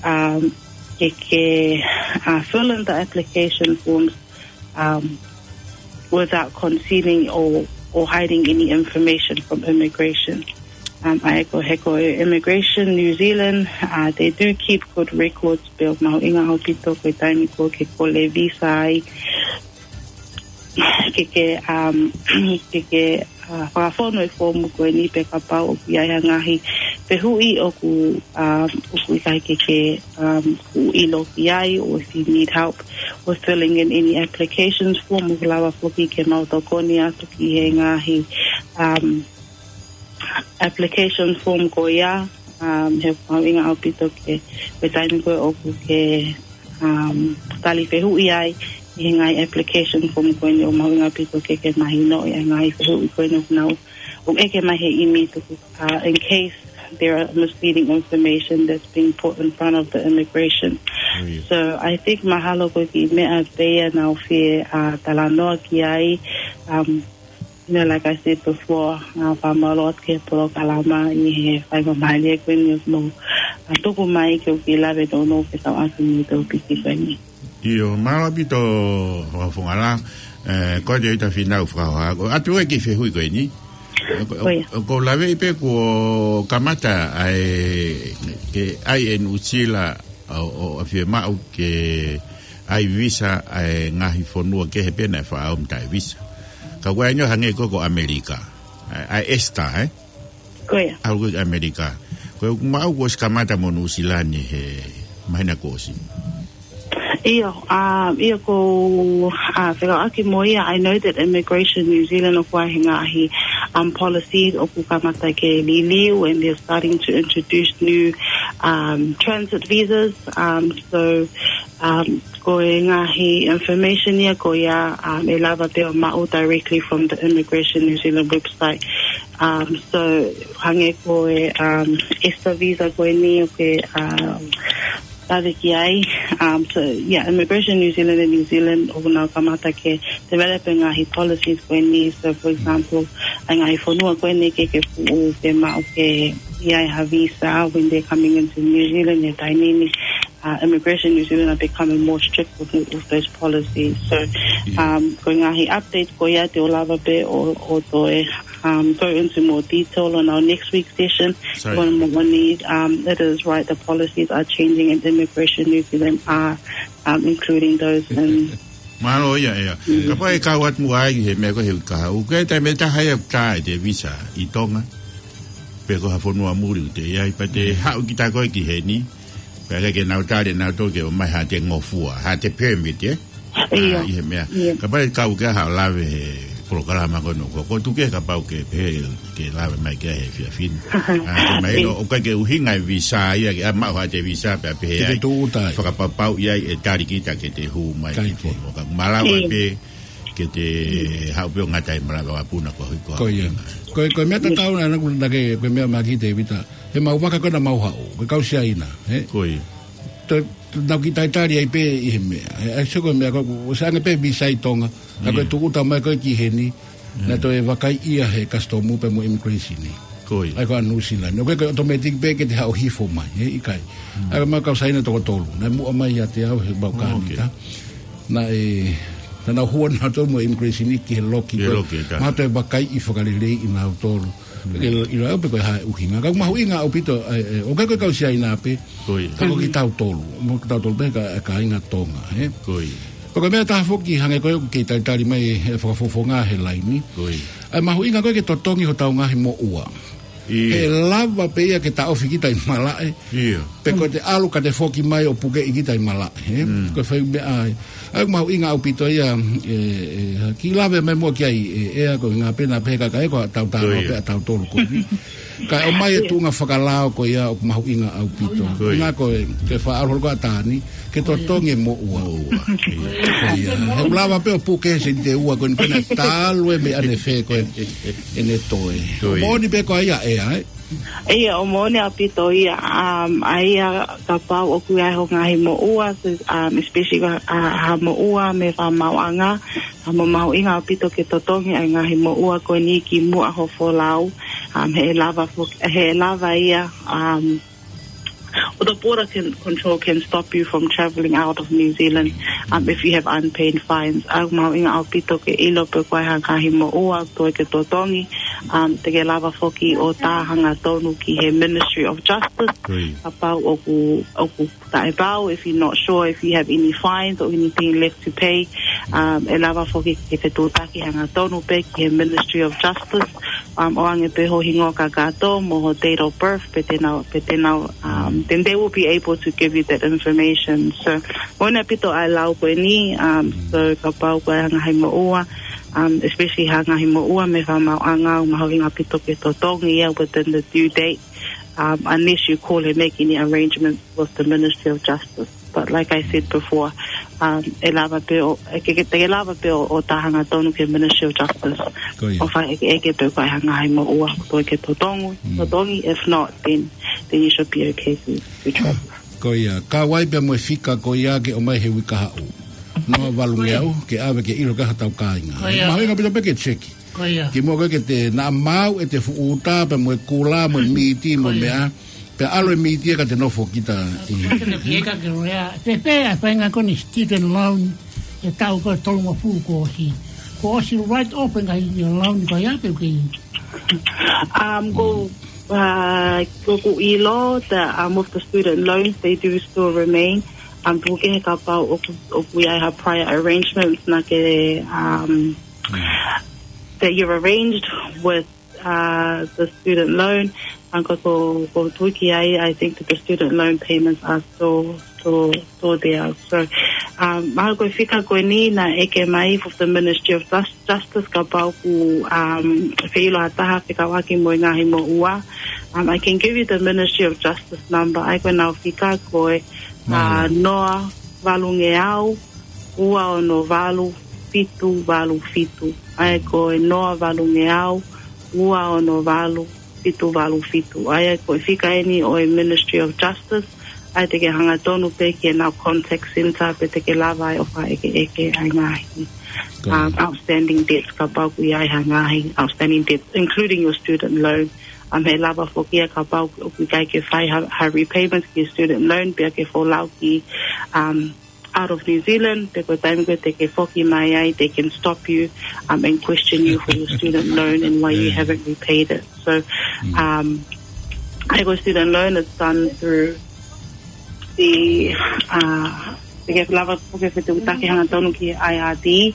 um, ke ke, uh, fill in the application forms, um, without concealing or, or hiding any information from immigration. Um, ʻa ia ko e, he ko e Immigration New Zealand, uh, they do keep good records, pea mahuʻinga ʻaupito ko e taimi ko ē ʻoku ke kole visa ai, ke ke, um, ke ke, uh, fakafonu e foomu ko eni pe kapau ʻoku ʻi ai ha ngaahi fehuʻi ʻoku, um, ʻoku ʻikai ke ke, um, ʻilo ki ai, or if you need help with filling in any applications form, ʻoku lava foki ke mau tokoni atu ki he ngaahi, um, application form ko ia, um, he mahuʻinga ʻaupito ke, ko e taimi ko ē ʻoku ke, um, tali fehuʻi ai ʻi he ngaahi application form ko eni, ʻoku mahuʻinga ʻaupito ke ke mahinoʻi ʻa e ngaahi fehuʻi ko eni ʻoku nau, ʻoku ʻeke mai he ʻimi tuku, uh, in case there are misleading information that's being put in front of the immigration. Oh, yeah. So I think mahalo ko e kiʻi meʻa pē ia naʻa ku fie, uh, talanoa ki ai, um, Now, like I said before, uh, fakamālō atu ki he polokalama ʻi he faingamālie ko eni ʻoku mou, uh, tuku mai ke u kiʻi lave nounou fekauʻaki mo e tōpiki ko eni. ʻIo, mālō ʻaupito, Fakafofonga Lā, eh, ko e Tēvita Fīnau Fakahoha. Ko e ʻatu ē ki he fehuʻi ko eni. Ko ia. Ko, ko, ko e lave pē kuo kamata ʻa e, ke ʻai ʻe Nuʻusila ʻo, ʻo, ʻo fiemaʻu ke ʻai visa ʻa e ngaahi fonua kehe pē naʻe fakaʻamu taʻe visa. Ka ko e ʻaho hangē ko, ko ʻAmelika. ʻA e, ʻa e ESTA, eh? Ko ia. ʻAlu ko ē ki ʻAmelika. Ko e ʻoku maʻu kuo ʻosi kamata mo Nuʻusila ni he māhina kuo ʻosi. ʻIo, um, ʻio ko, uh, fekauʻaki mo ia, I know that Immigration New Zealand ʻoku ʻi ai e ngaahi, um, policies ʻoku kamata ke liliu, and they're starting to introduce new, um, transit visas. Um, so, um, ko e ngaahi information ia ko ia, um, ʻe lava pē ʻo maʻu directly from the Immigration New Zealand website. Um, so, hangē ko e, um, ESTA visa ko eni ʻoku ke, um, lave ki ai. Um, so, yeah, Immigration New Zealand and New Zealand ʻoku nau kamata ke develop e ngaahi policies ko eni. So, for example, ʻa e ngaahi fonua ko eni ke, ke fuʻu, ke maʻu ke ʻi ai ha visa when they're coming into New Zealand, he taimi ni, uh, Immigration New Zealand are becoming more strict with, with those policies. So, yeah, um, ko e ngaahi update ko ia te u lava pē ʻo, ʻo toe, um, go into more detail on our next week's session. Sorry. Ko e moʻoni, um, it is right, the policies are changing and Immigration New Zealand are, um, including those in Mālō ia, ʻio. Mm. Kapau ʻe kau atu muʻa ai he meʻa ko ē he uike kahaʻu. Ko e taimi ʻe taha ia ʻoku tā ʻete visa ʻi Tonga. Pe ko ha fonua muli ʻoku te ʻi ai, pea te haʻu kita koe ki heni. Pea ke nau tali, nau toki ʻomai haʻate ngofua, haʻate permit, eh? ʻIo. Ah, ʻi he meʻa. ʻIo. Kapau ʻe kau ke haʻu ʻo lave he polokalama ko eni, ko, ko tuku ke kapau ke pehē ke lave mai ki ai he efiafi ni. Ah, ke mai, ʻio, ʻo, ʻoku ʻikai ke ʻuhinga e visa ia, ke ʻa maʻu haʻate visa pea pehē ai. Ke te tūʻuta ai. Fakapapauʻi ai ʻe tali kita ke te hū mai ki he fonua. Ka malava pē ke te haʻu pē ʻo ngata ʻi he malanga ʻo e puna ko ē ko ia. Ko e, ko e meʻa tatau naʻa ku na ke, ko e meʻa mai ki Tēvita. He mau vaka ko ē naʻa mau haʻu, ko e kau Siaina, he? Ko ia. Te, te nau kiʻi talitali ai pē ʻi he meʻa. He, ʻa e sio ko e meʻa ko, ʻosi ʻange pē visa ʻi Tonga. Ka ko e tūʻuta mai ko ē ki heni. Naʻe toe vakaiʻi ia he kasitomu pea mo e immigration ni. Ko ia. ʻA ia ko ē ʻa Nuʻusila ni. ʻOku ʻikai ko e automatic pē ke te haʻu ʻo hifo mai, he ʻikai. ʻA ia ko e mau kau Siaina toko tolu. Naʻe muʻa mai ʻiate au he mau kānita. Naʻe, naʻa nau hū nautolu mo e immigration ni ki he loki ko ē. Ki he loki, ka. Mau toe vakaiʻi fakaleleiʻi nautolu. Ke ʻilo au pe ko e hā e ʻuhinga. Ka ʻoku mahuʻinga ʻaupito, ʻe, ʻe, ʻoku ʻikai ko e kau Siaina pē. Ko ia. Ka ko kitautolu. Mo kitautolu pē ka, kāinga Tonga, he? Ko ia. Ko e meʻa ʻe taha foki hangē ko ē ʻoku kei talitali mai ʻe he Fakafofonga he laini. Ko ia. ʻA e mahuʻinga ko ē ke totongi hotau ngaahi moʻua. ʻIo. He lava pē ia ke taʻofi kita ʻi malaʻe. ʻIo. Pe ko ʻete ʻalu ka te foki mai ʻo pukeʻi kita ʻi malaʻe, he? Mm. Ko e fai meʻa ai. ʻA ia ʻoku mahuʻinga ʻaupito ia, ʻe, ʻe, kiʻi lave mai muʻa ki ai, ʻe, ʻe ʻa ko e ngaahi pena pē ka ka ʻe ko ʻetau talo pē ʻatautolu ko eni. Ka ʻomai e tuʻunga fakalao ko ia ʻoku mahuʻinga ʻaupito. Ko ia. Ngā ko e, ke faʻa ʻalu holo ko ʻAtani, ke totongi e moʻua. Moʻua. Ko ia. He ʻoku lava pē ʻo puke he sēniti ʻe ua ko eni pena talu e meʻa ne fē ko ē, ʻene toe. Ko ia. Moʻoni pē ko ia ʻe ʻa e. ʻIo, ʻoku moʻoni ʻaupito ia, um, ʻa ia kapau ʻoku ʻi ai ho ngaahi moʻua, so, um, especially ha, ha, ha moʻua mei he fakamaauʻanga, um, ʻoku mahuʻinga ʻaupito ke totongi ʻa e ngaahi moʻua ko eni kimuʻa ho folau, um, he ʻe lava fo-, he ʻe lava ia, um, or the border can, control can stop you from travelling out of New Zealand, um, if you have unpaid fines. ʻOku mahuʻinga ʻaupito ke ʻilo pe ko e hā e ngaahi moʻua ʻoku toe ke totongi, um, te ke lava foki ʻo tā hangatonu ki he Ministry of Justice. Kapau ʻoku, ʻoku taʻepau, if you're not sure if you have any fines or anything left to pay, um, ʻe lava foki ke te tūtaki hangatonu pē ki he Ministry of Justice, um, ʻoange pē ho hingoa kakato mo ho date of birth, pe te nau, pe te nau, um, then they will be able to give you that information. So, moʻoni ʻaupito ʻa e lau ko eni, um, so kapau ko e ngaahi moʻua, um, especially ha ngaahi moʻua mei he fakamaauʻanga, ʻoku mahuʻinga ʻaupito ke totongi ia within the due date, um, unless you call and make any arrangements with the Ministry of Justice. But like I said before, um, ʻe lava pē ʻo, ʻe ke, ke, te ke lava pē ʻo, ʻo tā hangatonu ki he Ministry of Justice. Ko ia. ʻO fakaʻekeʻeke pe ko e hā e ngaahi moʻua ʻoku toe ke totongi, totongi, if not, then, then you should be okay to, to travel. Ko ia, ka ʻoku ʻi ai pē mo e fika ko ia ke ʻomai he uike kahaʻu. Noa valungeau, ke ʻave ke ʻilo ki ai hotau kāinga. Ko ia. Mahuʻinga ʻaupito pē ke check. Ko ia. Kimuʻa ko ē ke te naʻa mau ʻete fuʻu uta pea mo e kula, mo e miti, mo e meʻa. Pea ʻalu e miti ia ka te nofo kita ʻi. Ka te pie ka ke lea. Te pē ʻa e faʻahinga ko eni student loan, ʻi he taʻu ko ē tolungofulu kuo ʻosi. Kuo ʻosi write off e ngaahi loan ko ia pe ʻoku kei. Um, ko, uh, ko ʻeku ʻilo that, um, with the student loans, they do still remain. Um, puke he kapau ʻoku, ʻoku ʻi ai ha prior arrangements naʻa ke, um, that you've arranged with, uh, the student loan. Um, ko, ko, ko tuki ai, I think that the student loan payments are still, still, still there. So, um, mahalo ko e fika ko eni naʻe ʻeke mai from the Ministry of Jus-, Justice kapau ʻoku, um, feʻiloaki ha taha fekauʻaki mo e ngaahi moʻua. Um, I can give you the Ministry of Justice number. ʻA ia ko ʻenau fika ko e, uh, noa valungeau, ua ono valu, fitu valu fitu. ʻA ia ko e noa valungeau, ua ono valu, fitu valu fitu. ʻA ia ko e fika eni ʻo e Ministry of Justice. ʻA ia te ke hangatonu pē ki heʻenau contact center pea te ke lava ai ʻo fakaʻekeʻeke ʻa e ngaahi, um, outstanding debts kapau ʻoku ʻi ai ha ngaahi outstanding debts, including your student loan. Um, he lava foki ia kapau ʻoku ʻikai ke fai ha, ha repayment ki student loan, pea ke folau ki, um, out of New Zealand, pe ko e taimi ko ē te ke foki mai ai, they can stop you, um, and question you for your student loan and why you haven't repaid it. So, um, ʻa ia ko e student loan is done through the, uh, te ke lava foki ʻo fetuʻutaki hangatonu ki I R D,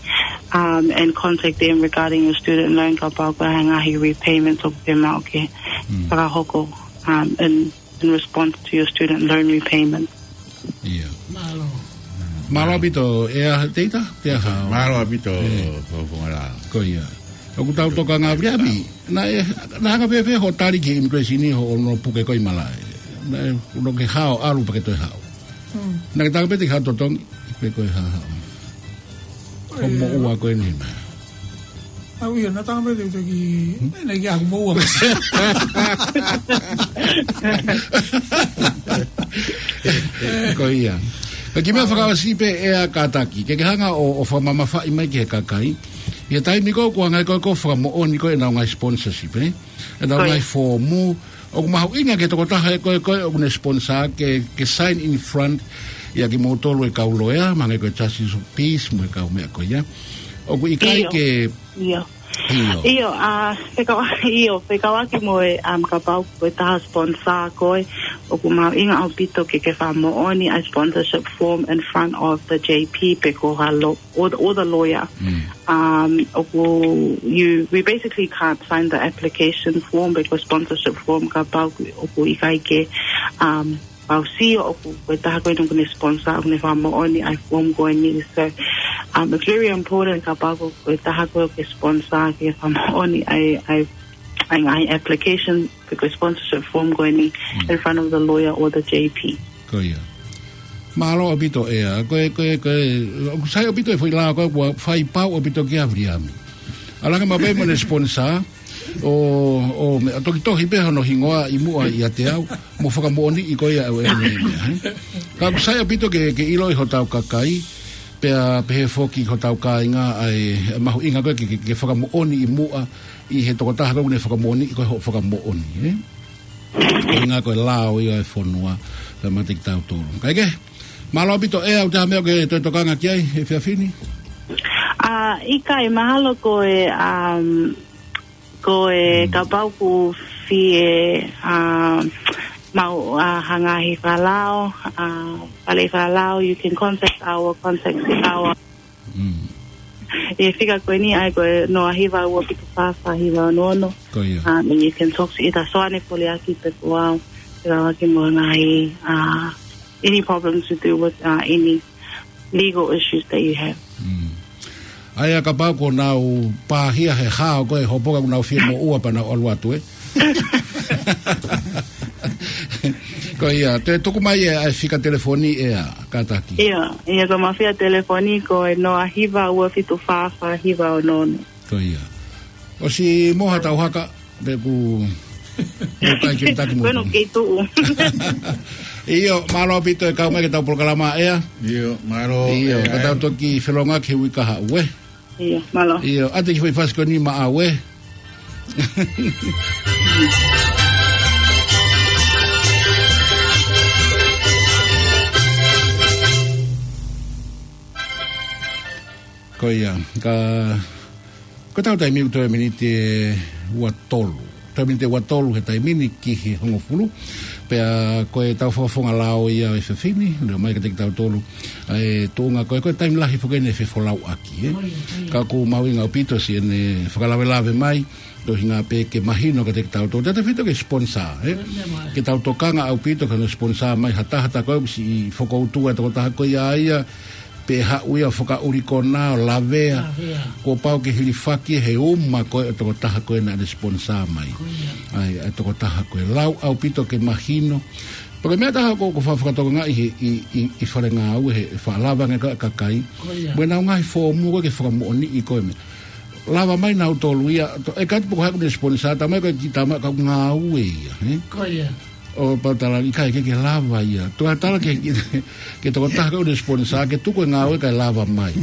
um, and contact them regarding your student loan kapau ʻoku ʻi ai ha ngaahi repayments ʻoku ke maʻu ke fakahoko, um, in in response to your student loan repayment. Ia. Mālō. Mālō ʻaupito, ʻEa Teita, te aha. Mālō ʻaupito, ko, ko ngala. Ko ia. ʻOku tau tokanga Viliami. Naʻe, naʻe hanga pē pē hoʻo tali ki he immigration ʻi hoʻo ʻono puke ko ē ʻi malaʻe. Naʻe, ʻoku ke hao ʻalu pea ke toe hao. Naʻa ke taka pē te ke hao totongi, pe ko e hā hao. Ko e moʻua ko eni. Au ia, naʻa tanga pē te u taki, naʻa ki aku moʻua. Ko ia. Ka kiʻi meʻa fakaʻosi pē ʻEa Kataki. Ke ke hanga ʻo, ʻo fakamamafaʻi mai ki he kakai. ʻI he taimi ko ē ʻoku hanga ko ē ʻo fakamoʻoni ko ē ʻenau ngaahi sponsorship, ē? ʻEnau ngaahi foomu, ʻoku mahuʻinga ki he tokotaha ē ko ē, ko ē ʻoku ne sponsor ke, ke sign in front ia kimoutolu e kau loea, mahalo ko e Justice of Peace mo e kau meʻa ko ia. ʻOku ʻikai ke. ʻIo. ʻIo, ʻa, fekauʻaki, ʻio, fekauʻaki mo e, um, kapau ko e taha sponsor koe, ʻoku mahuʻinga ʻaupito ke ke fakamoʻoni ʻa e sponsorship form in front of the J P pe ko ha lo-, or the, or the lawyer. Um, ʻoku, you, we basically can't sign the application form pe ko e sponsorship form kapau ʻoku, ʻoku ʻikai ke, um, pau sio ʻoku, ko e taha ko ē ʻoku ne sponsor, ʻoku ne fakamoʻoni ʻa e form ko eni. So, um, it's very important kapau ko, ko e taha ko ē ʻoku ke sponsor ke fakamoʻoni ʻa e, ʻa e, ʻa e ngaahi application pe ko e sponsorship form ko eni in front of the lawyer or the J P. Ko ia. Mālō ʻaupito ʻEa, ko e, ko e, ko e, ʻoku sai ʻaupito e foʻi lao ko ē, kuo fai pau ʻaupito kia Viliami. ʻAlu ange maʻu pē mo ʻene sponsor, ʻo, ʻo meʻa toki tohi pē hono hingoa ʻi muʻa ʻiate au, mo fakamoʻoniʻi ko ia ʻe au e meʻa, ē? Ka ʻoku sai ʻaupito ke, ke ʻiloʻi hotau kakai, pea pehē foki hotau kāinga ʻa e mahuʻinga ko ē ke, ke, ke fakamoʻoni ʻi muʻa, ʻi he tokotaha ko ē ʻoku ne fakamoʻoniʻi ko ē hoʻo fakamoʻoni, ē? Ko e ʻuhinga ko e lao ia e fonua, pea mate kitautolu. Kae kehe, mālō ʻaupito ʻEa, ʻoku ʻi ai ha meʻa ʻoku ke toe tokanga ki ai he efiafi ni? ʻA, ʻikai, mahalo ko e, um, ko e kapau ʻoku fie, um, maʻu, uh, ha ngaahi fakalao, uh, fale fakalao, you can contact our, contact our ʻI he fika ko eni ʻa ia ko e noa hiva ua fitu fā fā hiva ono ono. Ko ia. Um, and you can talk to either Soane Foliaki pe ko au. Te lava ke mo ngaahi, uh, any problems to do with, uh, any legal issues that you have. ʻA ia kapau ko ʻenau pāhia he hao ko ē hopo ka ʻoku nau fie moʻua pea nau ʻalu atu ē. Ko ia, te tuku mai ʻa e fika telefoni ʻEa Kataki. ʻIo, ʻio ko ʻema fika telefoni ko e noa hiva ua fitu fā fā hiva ono ono. Ko ia. ʻOsi mo ha tau haka, pe ʻoku, ʻoku ʻikai ke taki mo. Ko ʻenau kei tuʻu. ʻIo, mālō ʻaupito e kau mai ki heʻetau polokalama ʻEa. ʻIo, mālō. ʻIo, ka tau toki felongoaki he uike kahaʻu ē. ʻIo, mālō. ʻIo, ʻoatu e kiʻi foʻi fasi ko eni maʻau, ē? Ko ia, ka, ko ʻetau taimi ʻoku toe miniti ʻe ua tolu. Toe miniti ʻe ua tolu he taimi ni ki he hongofulu. Pea ko ʻetau fakafofonga lao ia ʻo e efiafi ni, leo mai kiate kitautolu. ʻA e tuʻunga ko ē, ko e taimi lahi foki eni ʻe fefolauʻaki, ē. Ka ʻoku mahuʻinga ʻaupito siʻene fakalavelave mai, koeʻuhinga pē ke mahino kiate kitautolu. Tautautefito ki he sponsor, ē. Ke tau tokanga ʻaupito ki hono sponsor mai ha taha, ha taha ko ē ʻoku siʻi fokoutua e tokotaha ko ia ia, pe haʻu ia ʻo fakaʻuli konā ʻo lavea. Lavea. Kuo pau ke hilifaki he uma ko ē ʻo e tokotaha ko ē naʻa ne sponsor mai. Ko ia. ʻA e, ʻa e tokotaha ko ē. Lau ʻaupito ke mahino. Pea ko e meʻa ʻe taha ʻoku, ʻoku fa-, fakatokangaʻi he, ʻi, ʻi, ʻi fale ngāue he, he faʻa lava ange ko ē e kakai. Ko ia. Mo ʻenau ngaahi fōmu ko ē ke fakamoʻoniʻi ko ē meʻa. Lava mai nautolu ia, to-, ʻikai te u pehē pe ko hai ʻoku ne sponsor, talamai ko e kiʻi tama ʻoku ngāue ia, ē? Ko ia. ʻO pau tala ʻikai ke, ke lava ia. Toe tala ke, ke, ke tokotaha ko ē ʻoku ne sponsor, ke tuku e ngāue kae lava mai.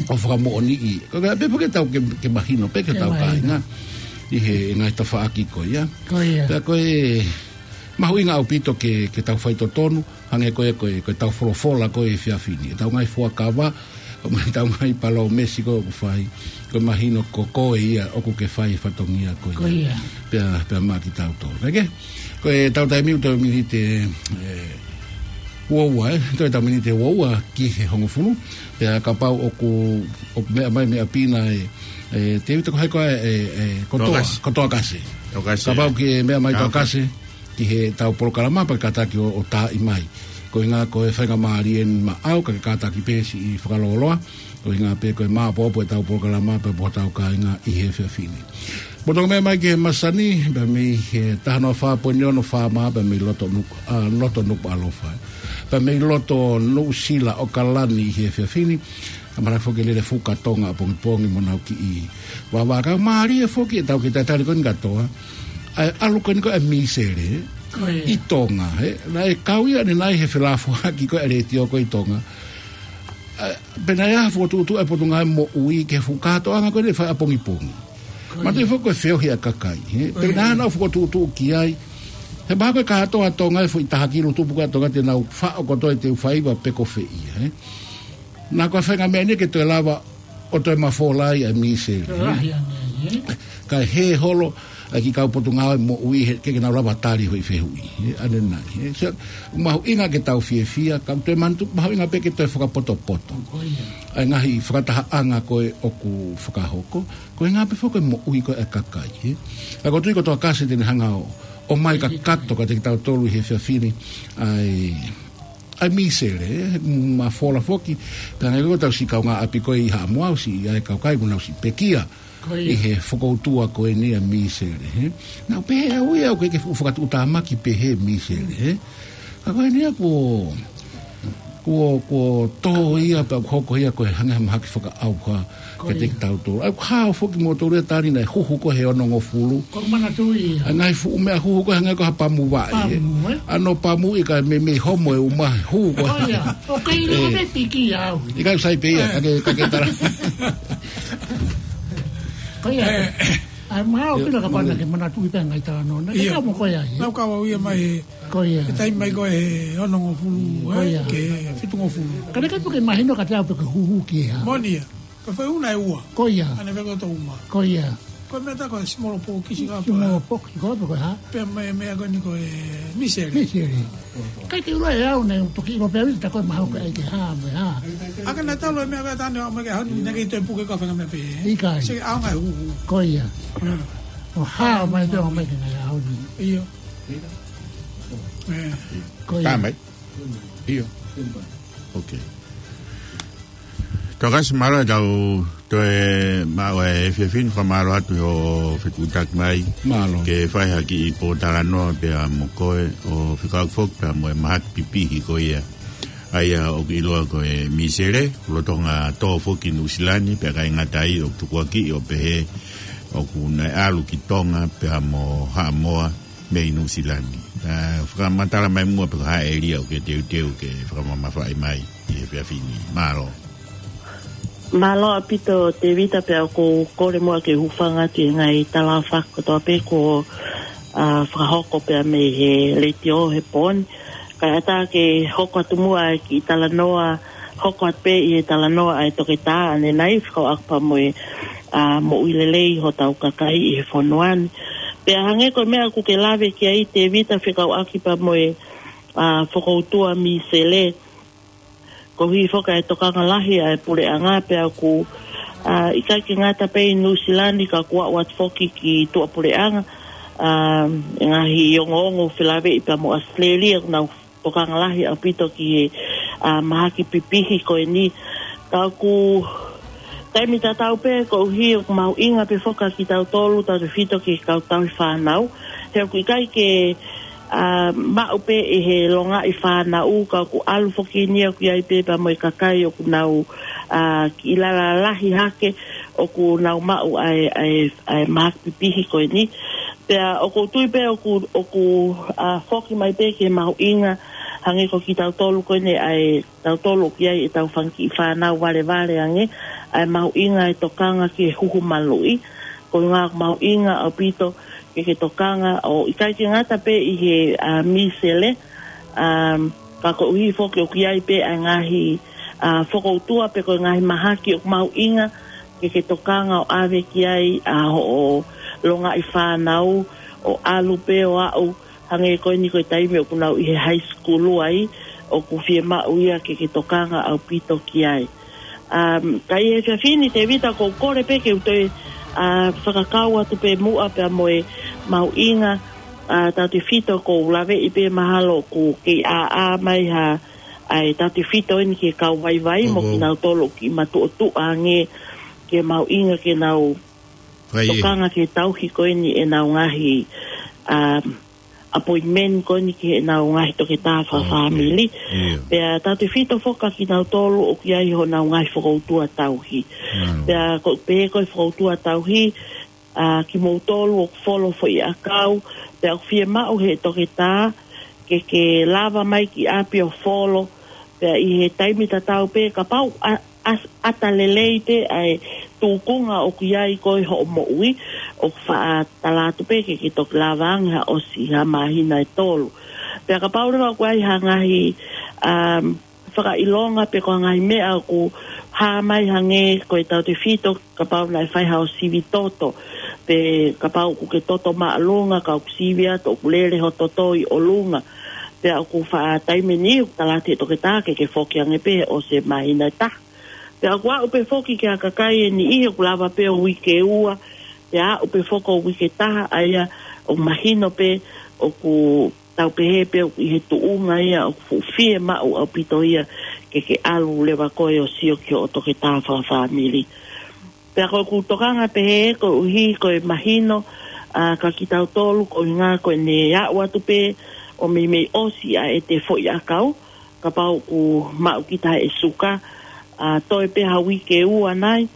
ʻO fakamoʻoniʻi. Ko e meʻa pē foki ke tau ke, ke mahino pē ki hotau kāinga. Ke mahino. ʻI he ngaahi tafaʻaki ko ia. Ko ia. Pea ko e mahuʻinga ʻaupito ke, ke tau faitotonu, hangē ko e, ko e, ko ʻetau folofola ko ē he efiafi ni. ʻEtau ngaahi fuakava, ʻetau ngaahi palōmesi ko ē ʻoku fai, ko e mahino ko koe ia ʻoku ke fai e fatongia ko ia. Ko ia. Pea, pea maʻa kitautolu. Kae kehe, ko ʻetau taimi ʻoku toe miniti ʻe, ʻe ua ua, ē? Toe ʻetau miniti ʻe ua ua ki he hongofulu. Pea kapau ʻoku, ʻoku meʻa mai meʻa pē ena ē, ʻe, Tēvita, ko hai koā ē, ē, ko Toa, Toa Kasi. Ko Toa Kasi. Toa Kasi. Kapau ʻoku ke meʻa mai Toa Kasi ki heʻetau polokalama pea kātaki ʻo, ʻo taaʻi mai. Koeʻuhinga ko e faingamālie eni maʻau, ka ke kātaki pē siʻi fakalōloa. Koeʻuhinga pē ko e maopoopo ʻetau polokalama pea mo hotau kāinga ʻi he efiafi ni. Mou toki meʻa mai ki he masani, pea mei he taha noa fā poini ono FM, pea mei loto Nuku-, ʻa, loto Nukuʻalofa. Pea mei loto Nuʻusila, ʻAokalani ʻi he efiafi ni. Ka mahalo foki ke lele fuka Tonga ʻapongipongi mo ʻenau kiʻi vāvā. Ka mālie foki ʻetau kiʻi talitali ko eni kātoa. ʻA e ʻalu ko eni ko ē ʻa e misele. Ko ia. ʻI Tonga, ē. Naʻe kau ia ʻanenai he felāfoaki ko ē ʻa e letiō ko ē ʻi Tonga. ʻA, pea naʻe ʻi ai ha fokotuʻutuʻu ʻa e Potungāue Moʻui ki he fuʻu kātoanga ko ē naʻe fai ʻapongipongi. Ko ia. Manatuʻi foki ko e feohi ʻa e kakai, ē. Ko ia. Pea naʻa nau fokotuʻutuʻu ki ai. He mahalo ko e kātoa Tonga ʻa e foʻi taha kilu tupu ko ē ʻa Tonga te nau faʻo kotoa ʻi he ʻū faiva pe ko fē ia, ē. Naʻa ko e faʻahinga meʻa eni ke toe lava ʻo toe mafola ai ʻa e misele, ē? Lahi ange, ē? Kae hē holo ʻa e kiʻi kau Potungāue Moʻui he, ke, ke nau lava tali e foʻi fehuʻi, ē? ʻAnenai, ē? So, mahuʻinga ke tau fiefia, ka toe manatuʻi, mahuʻinga pē ke toe fakapotopoto. Ko ia. ʻA e ngaahi fakatahaʻanga ko ē ʻoku fakahoko, koeʻuhinga pē foki ko e moʻui ko ē ʻa e kakai, ē? Ka ʻoku ou tui ko Toa Kasi te ne hanga ʻo, ʻomai kakato kiate kitautolu ʻi he efiafi ni, ʻa e ʻa e misele, ē, mafola foki. Pea hangē ko ʻetau siʻi kaungāʻapi ko ē ʻi Haʻamoa ʻosi, ʻa e kau kai kuo nau siʻi pekia. Ko ia. ʻI he fokoutua ko eni ʻa e misele, ē. Naʻa ku pehē au ia ʻoku ʻikai ke fuʻu fakatuʻutāmaki pehē misele, ē. Ka ko eni ia kuo, kuo, kuo tō ia pea kuo hoko ia ko e hangē ha mahaki fakaʻauha. Ko ia. Kiate kitautolu. ʻA ia ʻoku hao foki moutolu ia tali naʻe huhu ko ē he onongofulu. ʻOku ou manatuʻi ia. ʻA e ngaahi fuʻu meʻa huhu ko ē hangē ko ha pamu vaʻe, ē. Pamu, ē? ʻA hono pamu ʻikai meimei homo e uma huhu ko ē. Ko ia. ʻOku ʻikai ʻilo, ē, pē piki au. ʻIkai sai pē ia, ē, ka ke, ka ke tala. Ko ia. Ē. ʻA e maʻu pē ʻio, kapau naʻa ke manatuʻi pē ngaahi talanoa. Naʻa ke, ʻio, kau mo koe ai, ē? Naʻa ku kau au ia mai, ko ia, he taimi mai ko ē he onongofulu, ko ia, ē, ki he fitungofulu. Ka naʻe ʻikai pē ke mahino kiate au pe ko e huhu ki he hā. Moʻoni ia. Ko e foʻi ʻū naʻe ua. Ko ia. ʻAne feko to uma. Ko ia. Ko e meʻa ʻa e ko e simolo pōkisi ka. Simolo pōkisi ko e hā? Pea mei, meʻa ko eni ko e misele. Misele. ʻIkai ke u ʻilo ʻe au naʻe u toki ʻilo pē au ia ʻe taha ko e mahalo ko e ʻai ke hā, mo e hā. ʻA ka naʻe talu e meʻa ko ē ʻa Tane ʻo mai ke hanu, naʻe ʻikai toe puke ko e faʻahinga meʻa pē. ʻIkai. Sio ki he ʻaonga e huhu. Ko ia. ʻO hao mai pē ʻo mai ke ngai au ni. ʻIo. Ē. Ko ia. Tā mai. ʻIo. Ok. Toa Kasi, mālō ʻetau toe maʻu e efiafi ni, fakamālō atu hoʻo fetuʻutaki mai. Mālō. Ke fai ha kiʻi pōtalanoa pea mo koe ʻo fekauʻaki foki pea mo e mahaki pipihi ko ia. ʻA ia ʻoku ʻiloa ko e misele, lolotonga tō foki Nuʻusila ni, pea ʻikai ngata ai ʻoku tukuakiʻi ʻo pehē ʻoku nau ʻalu ki Tonga pea mo Haʻamoa mei Nuʻusila ni. ʻA, fakamatala mai muʻa pe ko e hā e ʻēlia ʻoku ke teuteu ke fakamamafaʻi mai ʻi he efiafi ni. Mālō. Mālō ʻaupito Tevita, pea ʻoku ou kole muʻa ke u hūfanga atu he ngaahi tala fakakātoa pē kuo, ā, fakahoko pea mei he letiō he pō ni. Kae ʻatā ke hoko atu muʻa e kiʻi talanoa, hoko atu pē ʻi he talanoa ʻa e toketā ʻanenai, fekauʻaki pea mo e, ā, moʻui lelei hotau kakai ʻi he fonua ni. Pea hangē ko e meʻa ʻoku ke lave ki ai Tevita, fekauʻaki pea mo e, ā, fokoutua Misele, koeʻuhi foki ʻa e tokanga lahi ʻa e puleʻanga, pea ʻoku, ā, ʻikai ke ngata pē ʻi Nuʻusila ni ka kuo aʻu atu foki ki tuʻapuleʻanga, ā, ngaahi ongoongo felāveʻi pea mo ʻAositelēlia, ʻoku nau tokanga lahi ʻaupito ki he, ā, mahaki pipihi ko eni. Ka ʻoku taimi tatau pē koeʻuhi ʻoku mahuʻinga pē foki kia kitautolu, tautefito ki he kau tauhi fānau. He ʻoku ʻikai ke, ā, maʻu pē ʻe he longaʻi fānau, ka ʻoku ʻalu foki eni ʻoku ʻi ai pē pea mo e kakai ʻoku nau, ā, kiʻi lalahi hake, ʻoku nau maʻu ʻa e, ʻa e, ʻa e mahaki pipihi ko eni. Pea ʻoku ou tui pē ʻoku, ʻoku, ā, foki mai pē ki he mahuʻinga, hangē ko kitautolu ko eni ʻa e tautolu ʻoku ʻi ai ʻetau fanga kiʻi fānau valevale ange, ʻa e mahuʻinga e tokanga ki he huhu maluʻi, ko e ʻuhinga ʻoku mahuʻinga ʻaupito ke ke tokanga ʻo ʻikai ke ngata pē ʻi he, ā, Misele, ā, ka koeʻuhi foki ʻoku ʻi ai pē ʻa e ngaahi, ā, fokoutua pe ko e ngaahi mahaki ʻoku mahuʻinga ke ke tokanga ʻo ʻave ki ai ʻa hoʻo longaʻi fānau ʻo ʻalu pē ʻo aʻu, hangē ko eni ko e taimi ʻoku nau ʻi he high school ai, ʻoku fiemaʻu ia ke ke tokanga ʻaupito ki ai. Um, ka ʻi he efiafi ni Tevita, ʻoku ou kole pē ke u toe, ā, fakakau atu pē muʻa pea mo e mahuʻinga, ā, tautefito ʻoku ou laveʻi pē mahalo ʻoku kei ʻāʻā mai ha, ʻa e tautefito eni ki he kau vaivai mo kinautolu ʻoku kiʻi matuʻotuʻa ange ki he mahuʻinga ke nau tokanga ki he tauhi ko eni ʻenau ngaahi, um, appointment ko eni ki heʻenau ngaahi toketā fakafāmili. Pea tautefito foki kia kinautolu ʻoku ʻi ai honau ngaahi fokoutua tauhi. Pea ko, pē ko e fokoutua tauhi, ā, kimoutolu ʻoku folo foʻi ʻakau, pea ʻoku fiemaʻu he toketā ke ke lava mai ki ʻapi ʻo folo, pea ʻi he taimi tatau pē kapau ʻa, ʻa, ʻata lelei pē ʻa e tūkunga ʻoku ʻi ai koe hoʻo moʻui, ʻoku faʻa tala atu pē ke ke toki lava ange ha ʻosi ha māhina ʻe tolu. Pea kapau leva ʻoku ʻi ai ha ngaahi, um, fakaʻilonga pe ko ha ngaahi meʻa ʻoku hā mai hangē ko e tautefito, kapau naʻe fai haʻo sivi toto, pe kapau ʻoku ke toto māʻolunga, ka ʻoku sivi atu ʻoku lele ho toto ʻi ʻolunga. Pea ʻoku faʻa taimi ni ʻoku tala atu he toketā ke ke foki ange pē ʻosi e māhina ʻe taha. Pea ʻoku aʻu pē foki ki ha kakai ʻe niʻihi ʻoku lava pē ʻo uike ua, pea aʻu pē foki ʻo uike taha, ʻa ia ʻoku mahino pē ʻoku tau pehē pē ʻoku ʻi he tuʻunga ia ʻoku fuʻu fiemaʻu ʻaupito ia ke ke ʻalu leva koe ʻo sio ki hoʻo toketā fakafāmili. Pea ko ʻeku tokanga pehē koeʻuhi ko e mahino, ā, kia kitautolu ko e ʻuhinga ko ʻene aʻu atu pē ʻo meimei ʻosi ʻa ʻete foʻi ʻakau, kapau ʻoku maʻu kita he suka, ā, toe pē ha uike ua nai,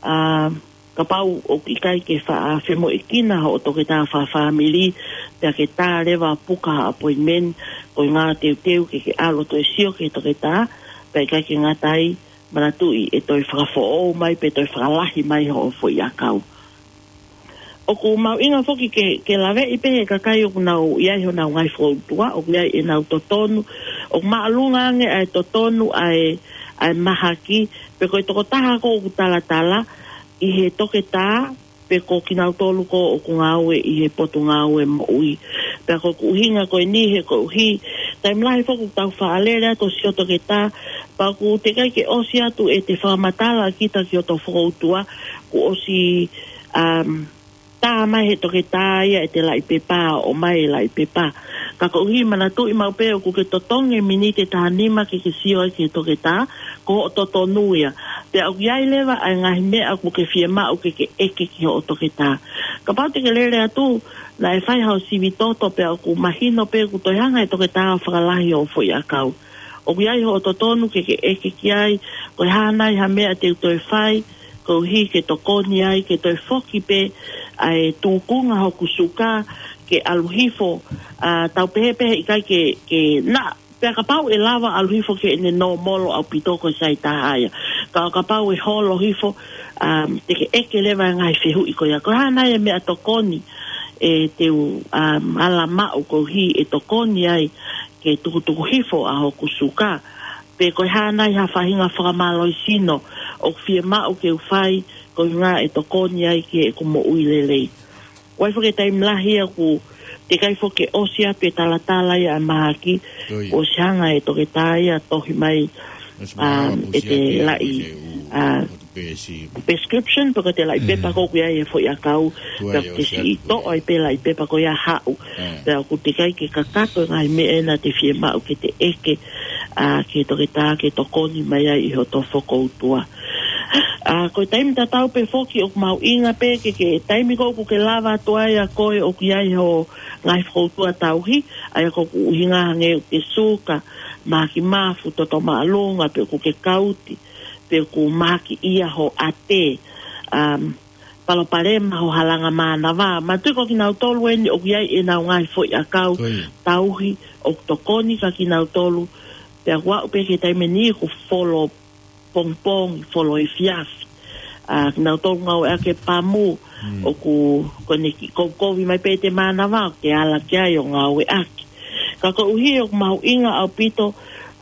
ā, kapau ʻoku ʻikai ke faʻa femoʻuekina hoʻo toketā fakafāmili, pea ke tā leva puka ha appointment, ko e ʻuhinga teuteu ke ke ʻalu ʻo toe sio ki he toketā, pea ʻikai ke ngata ai, manatuʻi ʻe toe fakafoʻou mai pe toe fakalahi mai hoʻo foʻi ʻakau. ʻOku mahuʻinga foki ke, ke laveʻi pē he kakai ʻoku nau ʻi ai honau ngaahi fokoutua, ʻoku ʻi ai ʻenau totonu, ʻoku māʻolunga ange ʻa e totonu ʻa e, ʻa e mahaki, pe ko e tokotaha ko ē ʻoku talatala ʻi he toketā, pe ko kinautolu ko ē ʻoku ngāue ʻi he potungāue moʻui. Pea ko ʻeku ʻuhinga ko eni he koeʻuhi, taimi lahi foki ʻoku tau faʻa lele atu ʻo sio toketā, pea ʻoku teʻeki ai ke ʻosi atu ʻete fakamatala kita ki hoto fokoutua, kuo ʻosi, um, tā mai he toketā ia ʻete laʻi pepa, ʻomai e laʻi pepa. Ka koeʻuhi manatuʻi maʻu pē ʻoku ke totongi e miniti ʻe taha nima ke ke sio ai ki he toketā, ko hoʻo totonu ia. Pea ʻoku ʻi ai leva ʻa e ngaahi meʻa ʻoku ke fiemaʻu ke ke ʻeke ki hoʻo toketā. Kapau te ke lele atu, naʻe fai haʻo sivi toto pea ʻoku mahino pē ʻoku toe hanga he toketā ʻo fakalahi hoʻo foʻi ʻakau. ʻOku ʻi ai hoʻo totonu ke ke ʻeke ki ai, ko e hā nai ha meʻa te u toe fai, koeʻuhi ke tokoni ai, ke toe foki pē ʻa e tūkunga hoku suka, ke ʻalu hifo, ā, tau pehē pē he ʻikai ke, ke na, pea kapau ʻe lava ʻalu hifo ki heʻene nōmolo ʻaupito ko e saizi taha ia. Ka, kapau ʻe holo hifo, um, te ke ʻeke leva e ngaahi fehuʻi ko ia. Ko e hā nai e meʻatokoni ʻe te u, um, ala maʻu koeʻuhi ʻe tokoni ai ke tukutuku hifo ʻa hoku suka. Pe ko e hā nai ha faʻahinga fakamālohisino ʻoku fiemaʻu ke u fai koeʻuhinga ʻe tokoni ai ki heʻeku moʻui lelei. ʻOku ʻi ai foki e taimi lahi ia ʻoku teʻeki ai foki ke ʻosi atu e talatala ia ʻa e mahaki, ʻosi hanga ʻe he toketā ia ʻo tohi mai, um, ʻete laʻi, uh, prescription, pe ko ʻete laʻi pepa ko ē ʻoku ʻi ai e foʻi ʻakau, pea ʻoku te siʻi toʻo ai pē laʻi pepa ko ia ʻo haʻu. Pea ʻoku teʻeki ai ke kakato e ngaahi meʻa ʻena te fiemaʻu ke te ʻeke, uh, ki he toketā ke tokoni mai ai ʻi hoto fokoutua. ʻA, ko e taimi tatau pē foki ʻoku mahuʻinga pē ke, ke taimi ko ē ʻoku ke lava atu ai ʻa koe ʻoku ʻi ai ho ngaahi fokoutua tauhi, ʻa ia ko ʻeku ʻuhinga hangē ʻoku ke suka, mahaki mafu, toto māʻolunga, pe ʻoku ke kauti, pe ʻoku mahaki ia ho ʻate, um, palopalema ho halanga mānava. Manatuʻi ko kinautolu eni ʻoku ʻi ai ʻenau ngaahi foʻi ʻakau tauhi ʻoku tokoni kia kinautolu, pea ʻoku aʻu pē ki he taimi ni ʻoku folo pongipongi, folo efiafi. ʻA, kinautolu ngāueʻaki e pamu, ʻoku, ko ʻene kiʻi kovi mai pē ʻete mānava, ʻoku ke ala ki ai ʻo ngāueʻaki. Ka koeʻuhi ʻoku mahuʻinga ʻaupito,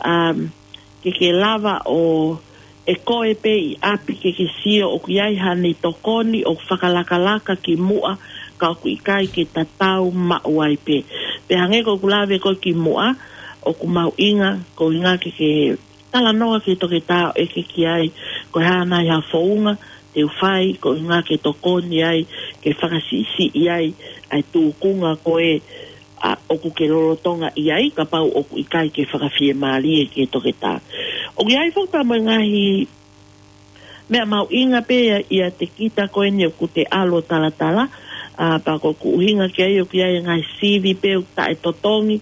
um, ke ke lava ʻo ʻe koe pē ʻi ʻapi ke ke sio ʻoku ʻi ai haʻane tokoni ʻoku fakalakalaka ki muʻa ka ʻoku ʻikai ke tatau maʻu ai pē. Pea hangē ko ʻeku lave ko ē ki muʻa, ʻoku mahuʻinga, koeʻuhinga ke ke talanoa ki he toketā ʻo ʻeke ki ai, ko e hā nai ha founga te u fai, koeʻuhinga ke tokoni ai, ke fakasiʻisiʻi ai, ʻa e tūkunga ko ē, ʻa, ʻoku ke lolotonga ʻi ai, kapau ʻoku ʻikai ke fakafiemālie ki he toketā. ʻOku ʻi ai foki pea mo e ngaahi meʻa mahuʻinga pē ia, ʻiate kita ko eni ʻoku te ʻalu ʻo talatala, ʻa, pea ko ʻeku ʻuhinga ki ai ʻoku ʻi ai e ngaahi sivi pē ʻoku taʻetotongi,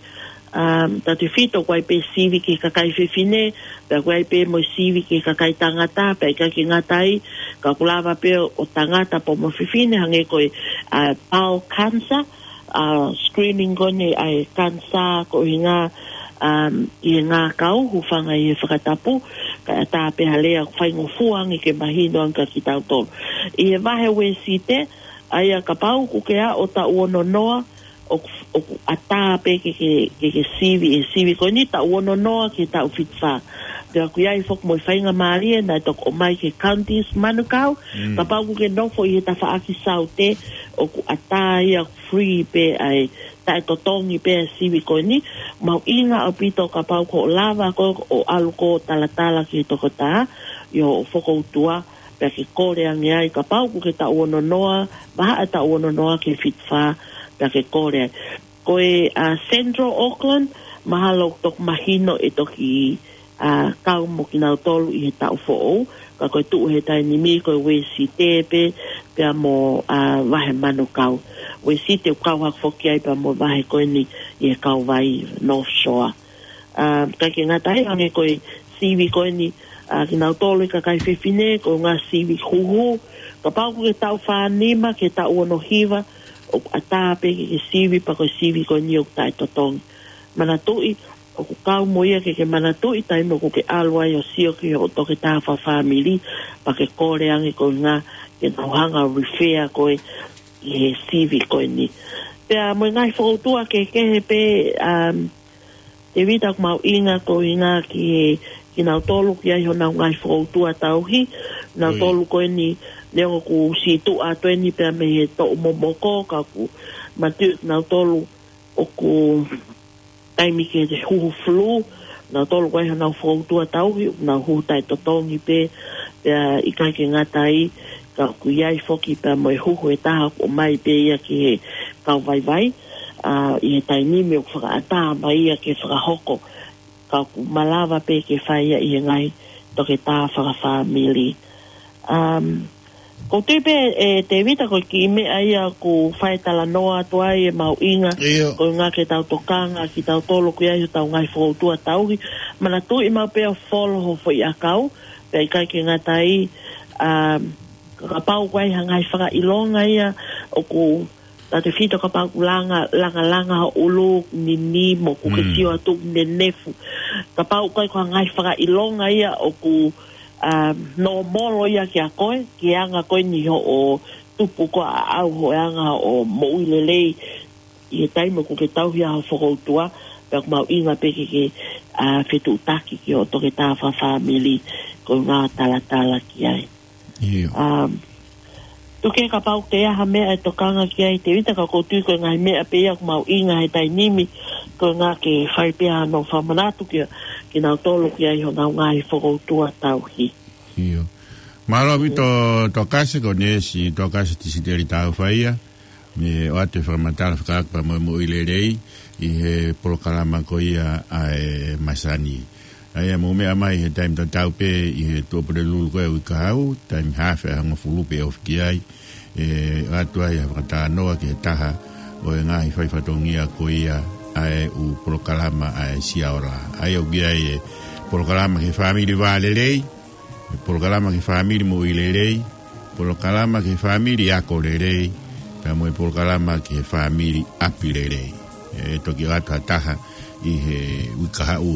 um, tautefito ʻoku ʻi ai pē sivi ki he kakai fefine, pea ʻoku ʻi ai pē mo e sivi ki he kakai tangata, pea ʻikai ke ngata ai, ka ʻoku lava pē ʻo tangata pea mo fefine, hangē ko e, uh, bowel cancer, uh, screening ko eni ʻa e kanisā koeʻuhinga, um, ʻi he ngākau, hūfanga ʻi he fakatapu, kae ʻatā pē ha lea ʻoku faingofua ange ke mahino ange kia kitautolu. ʻI he vahe Uēsite, ʻa ia kapau ʻoku ke aʻu ʻo taʻu ono noa, ʻoku, ʻoku ʻatā pē ke, ke, ke, ke sivi, ʻe sivi ko eni taʻu ono noa ki he taʻu fitu fā. Pea ʻoku ʻi ai foki mo e faingamālie naʻe toki ʻomai ki he counties Manukau, kapau ʻoku ke nofo ʻi he tafaʻaki Saute, ʻoku ʻatā ia, free pē ʻa e taʻetotongi pē ʻa e sivi ko eni. Mahuʻinga ʻaupito kapau ʻoku lava koe ʻo ʻalu ʻo talatala ki he toketā, ʻi hoʻo fokoutua, pea ke kole ange ai kapau ʻoku ke taʻu ono noa, vahaʻa taʻu ono noa ki he fitu fā, pea ke kole ai. Ko e, ʻa, Central Auckland, mahalo ʻoku toki mahino ʻe toki, ʻa, kau mo kinautolu ʻi he taʻu foʻou, ka ko e tuʻu he taimi ni ko e Uēsite pē, pea mo, ʻa, vahe Manukau. Uēsite ʻoku kau hake foki ai pea mo e vahe ko eni ʻi he kauvai North Shore. ʻA, ʻikai ke ngata ai hangē ko e sivi ko eni, ʻa, kinautolu e kakai fefine, ko e ngaahi sivi huhu, kapau ʻoku ke taʻu fā nima ki he taʻu ono hiva, ʻoku ʻatā pē ke ke sivi pea ko e sivi ko eni ʻoku taʻetotongi. Manatuʻi, ʻoku kau mo ia ke ke manatuʻi taimi ʻoku ke ʻalu ai ʻo sio ki hoʻo toketā fakafāmili, pea ke kole ange koeʻuhinga ke nau hanga ʻo refer koe ʻi he sivi ko eni. Pea mo e ngaahi fokoutua kehekehe pē, um, Tēvita, ʻoku mahuʻinga koeʻuhinga ki he, kinautolu ʻoku ʻi ai honau ngaahi fokoutua tauhi, nautolu ko eni, neongo ʻoku siʻi tuʻu atu eni pea mei he toʻu momoko, ka ʻoku manatuʻi kinautolu ʻoku taimi ke huhu flu, nautolu ʻoku ʻi ai honau fokoutua tauhi, ʻoku nau huhu taʻetotongi pē, pea ʻikai ke ngata ai, ka ʻoku ʻi ai foki pea mo e huhu ʻe taha ʻoku ʻomai pē ia ki he kau vaivai, ʻa, ʻi he taimi ni ʻoku fakaʻatā mai ia ke fakahoko, ka ʻoku malava pē ke fai ia ʻi he ngaahi toketā fakafāmili. Um, ʻoku ou tui pē, ʻe Tēvita, ko e kiʻi meʻa ia ʻoku fai talanoa atu ai e mahuʻinga, koeʻuhinga ke tau tokanga kitautolu ʻoku ʻi ai hotau ngaahi fokoutua tauhi. Manatuʻi maʻu pē ʻo folo ho foʻi ʻakau, pea ʻikai ke ngata ai, um, ka kapau ʻoku ʻi ai ha ngaahi fakaʻilonga ia ʻoku tautefito kapau ʻoku langa, langalanga ho ʻulu, nini, mo ʻoku ke sio atu ʻoku nenefu. Kapau ʻoku ʻi ai ha ngaahi fakaʻilonga ia ʻoku ʻa, nōmolo ia kia koe, ki he anga ko eni hoʻo tupu ko ē ʻa ʻaʻau, ko e anga hoʻo moʻui lelei ʻi he taimi ʻoku ke tauhi ai ho fokoutua, pea ʻoku mahuʻinga pē ke ke, ʻa, fetuʻutaki ki hoʻo toketā fakafāmili, ko e ngaahi talatala ki ai. ʻIo. Um, tuku ke kapau ʻoku ʻi ai ha meʻa ʻe tokanga ki ai Tēvita, ka ʻoku ou tui ko e ngaahi meʻa pē ia ʻoku mahuʻinga he taimi ni, ko e anga ke fai pē hano fakamanatu kia, kinautolu ki ai honau ngaahi fokoutua tauhi. ʻIo. Mālō ʻaupito Tokasi, ko Nesi Tokasi Tisiteli Tāufaʻia, mei he ʻoatu e fakamatala fekauʻaki pea mo e moʻui lelei ʻi he polokalama ko ia ʻa e masani. ʻA ia mou meʻa mai he taimi tatau pē ʻi he Tuʻapulelulu ko ē ʻo e uike kahaʻu, taimi haafe ʻa e hongofulu pea ofi ki ai, ʻe ʻoatu ai ha fakatalanoa ki he taha ʻo e ngaahi faifatongia ko ia ʻa e ʻū polokalama ʻa e Siaola. ʻA ia ʻoku ʻi ai e polokalama ki he fāmili vā lelei, e polokalama ki he fāmili moʻui lelei, polokalama ki he fāmili ako lelei, pea mo e polokalama ki he fāmili ʻapi lelei. ʻE toki ʻoatu ha taha ʻi he uike kahaʻu,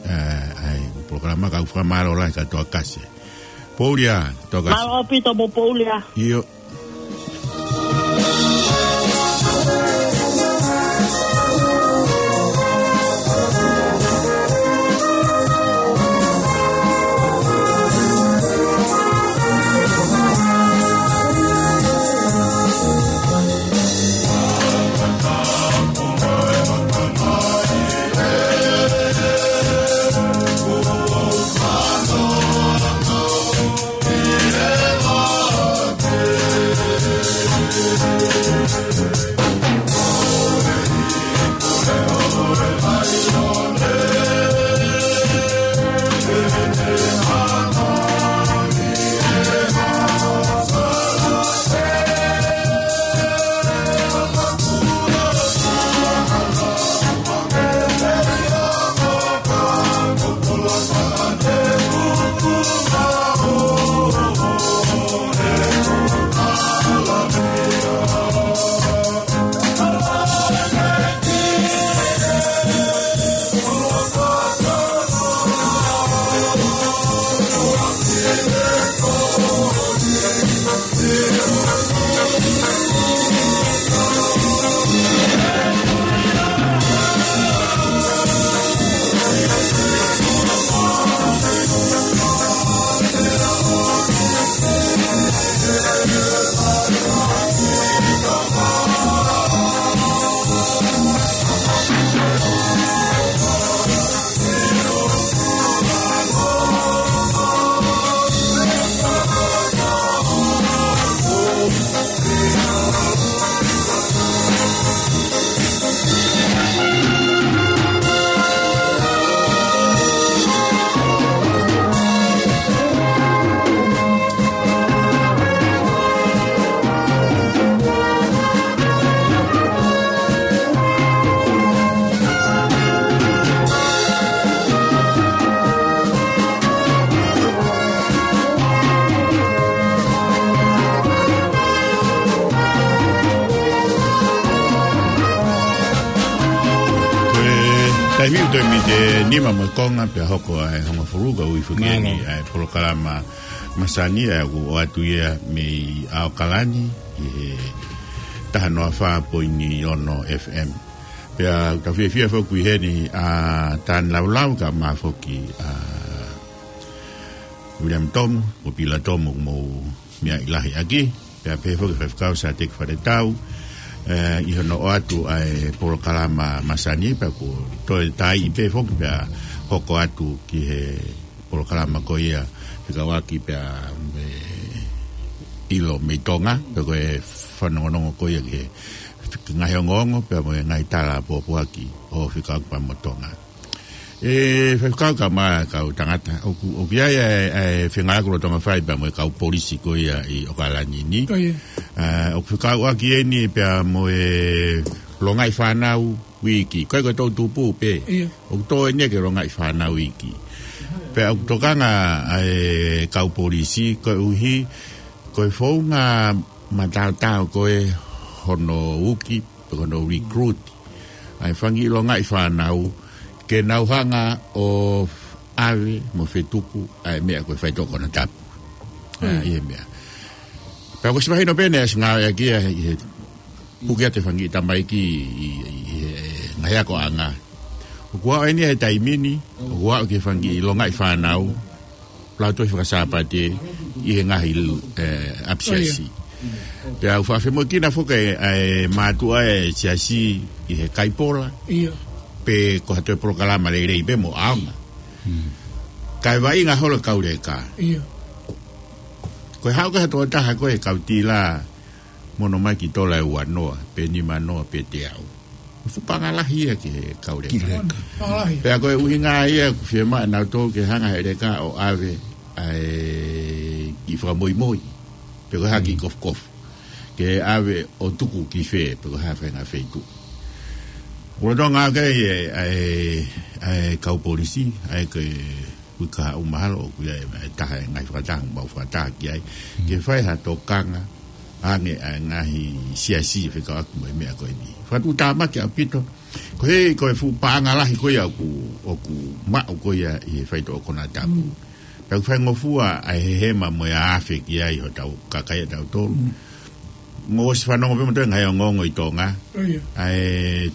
ʻa, ʻa e polokalama, ka ʻoku fakamālō lahi kia Tokasi. Pouli ā, Tokasi. Mālō ʻaupito mo Pouli ā. ʻIo. Ko e taimi ʻoku toe miniti ʻe nima mo e konga pea hoko ʻa e hongofulu, ka ʻoku ʻi ai foki eni ʻa e polokalama masani ʻa ia ʻoku ʻoatu ia mei ʻAokalani ʻi he taha noa fā poini ono F M. Pea ʻoku tau fiefia foki ʻi heni ʻa Tani Laulau kae ʻumaʻā foki ʻa William Tomu, mo Pila Tomu, mo Mia Ilahi ʻaki. Pea pehē foki Faifekau Sateki Faletau, ē, ʻi hono ʻoatu ʻa e polokalama masani, pea kuo toe taiʻi pē foki pea hoko atu ki he polokalama ko ia fekauʻaki pea mo e ʻilo mei Tonga, pea ko e fanongonongo ko ia ki he ngaahi ongoongo, pea mo e ngaahi tala pōpoaki ʻo fekauʻaki pea mo Tonga. ʻE, Faifekau kae ʻumaʻā e kau tangata. ʻOku, ʻoku ʻi ai e, e fengāueʻaki lolotonga fai pea mo e kau polisi ko ia ʻi ʻAokalani ni. Ko ia. Ē, ʻoku fekauʻaki eni pea mo e longaʻi fānau uiki. Ko e ko e toʻutupu pē. Ia. ʻOku tō eni ki he longaʻi fānau uiki. Pea ʻoku tokanga ʻa e kau polisi koeʻuhi ko e founga mataotao ko ē hono uki, pe ko hono recruit ʻa e fanga kiʻi longaʻi fānau ke nau hanga ʻo ʻave mo fetuku ʻa e meʻa ko e faitoʻo konatapu. ʻA, ʻi he meʻa. Pea ko e siʻi mahino pē ʻene ʻasi ngāueʻaki ia ʻi he puke atu e fanga kiʻi tamaiki ʻi, ʻi, ʻi he ngaahi akoʻanga. ʻOku aʻu eni he taimi ni, ʻoku aʻu ki he fanga kiʻi longaʻi fānau, Lautohi Fakasāpate ʻi he ngaahi, eh, ʻapisiasi. Pea ʻoku faʻa femoʻuekina foki ʻa e mātuʻa e siasi ʻi he kaipola, pe ko ha toe polokalama lelei pē mo ʻaonga. Kae vaʻinga holo e kau leka. Ko e haʻu ko ē ha tokotaha ko e kau tila mo ʻene ʻomai ki tola ʻe uanoa, pe nimanoa, pe teau. Fuʻu paʻanga lahi ia ki he kau leka. Pea ko e ʻuhinga ia ʻoku fiemaʻu ʻe nautolu ke hanga he leka ʻo ʻave ʻa e kiʻi fakamoimoi, pe ko e hā kiʻi kofukofu. Ke ʻave ʻo tuku ki fē, pe ko e hā faʻahinga feituʻu. ʻOku lolotonga ʻoku ʻi ai e, ʻa e, ʻa e kau polisi, ʻa e ke ui kahaʻu mahalo, ʻoku ʻi ai e taha e ngaahi fakataha, mau fakataha ki ai. Ke fai ha tokanga, ange ʻa e ngaahi siasi fekauʻaki mo e meʻa ko eni. Fakatuʻutāmaki ʻaupito. Ko e, ko e fuʻu paʻanga lahi ko ia ʻoku, ʻoku maʻu ko ia ʻi he faitoʻo konatapu. Pea ʻoku faingofua ʻa e hehema mo e afe ki ai hotau kakai ʻatautolu. Mou ʻosi fanongo pē mo toe ngaahi ongoongo ʻi Tonga. ʻA e,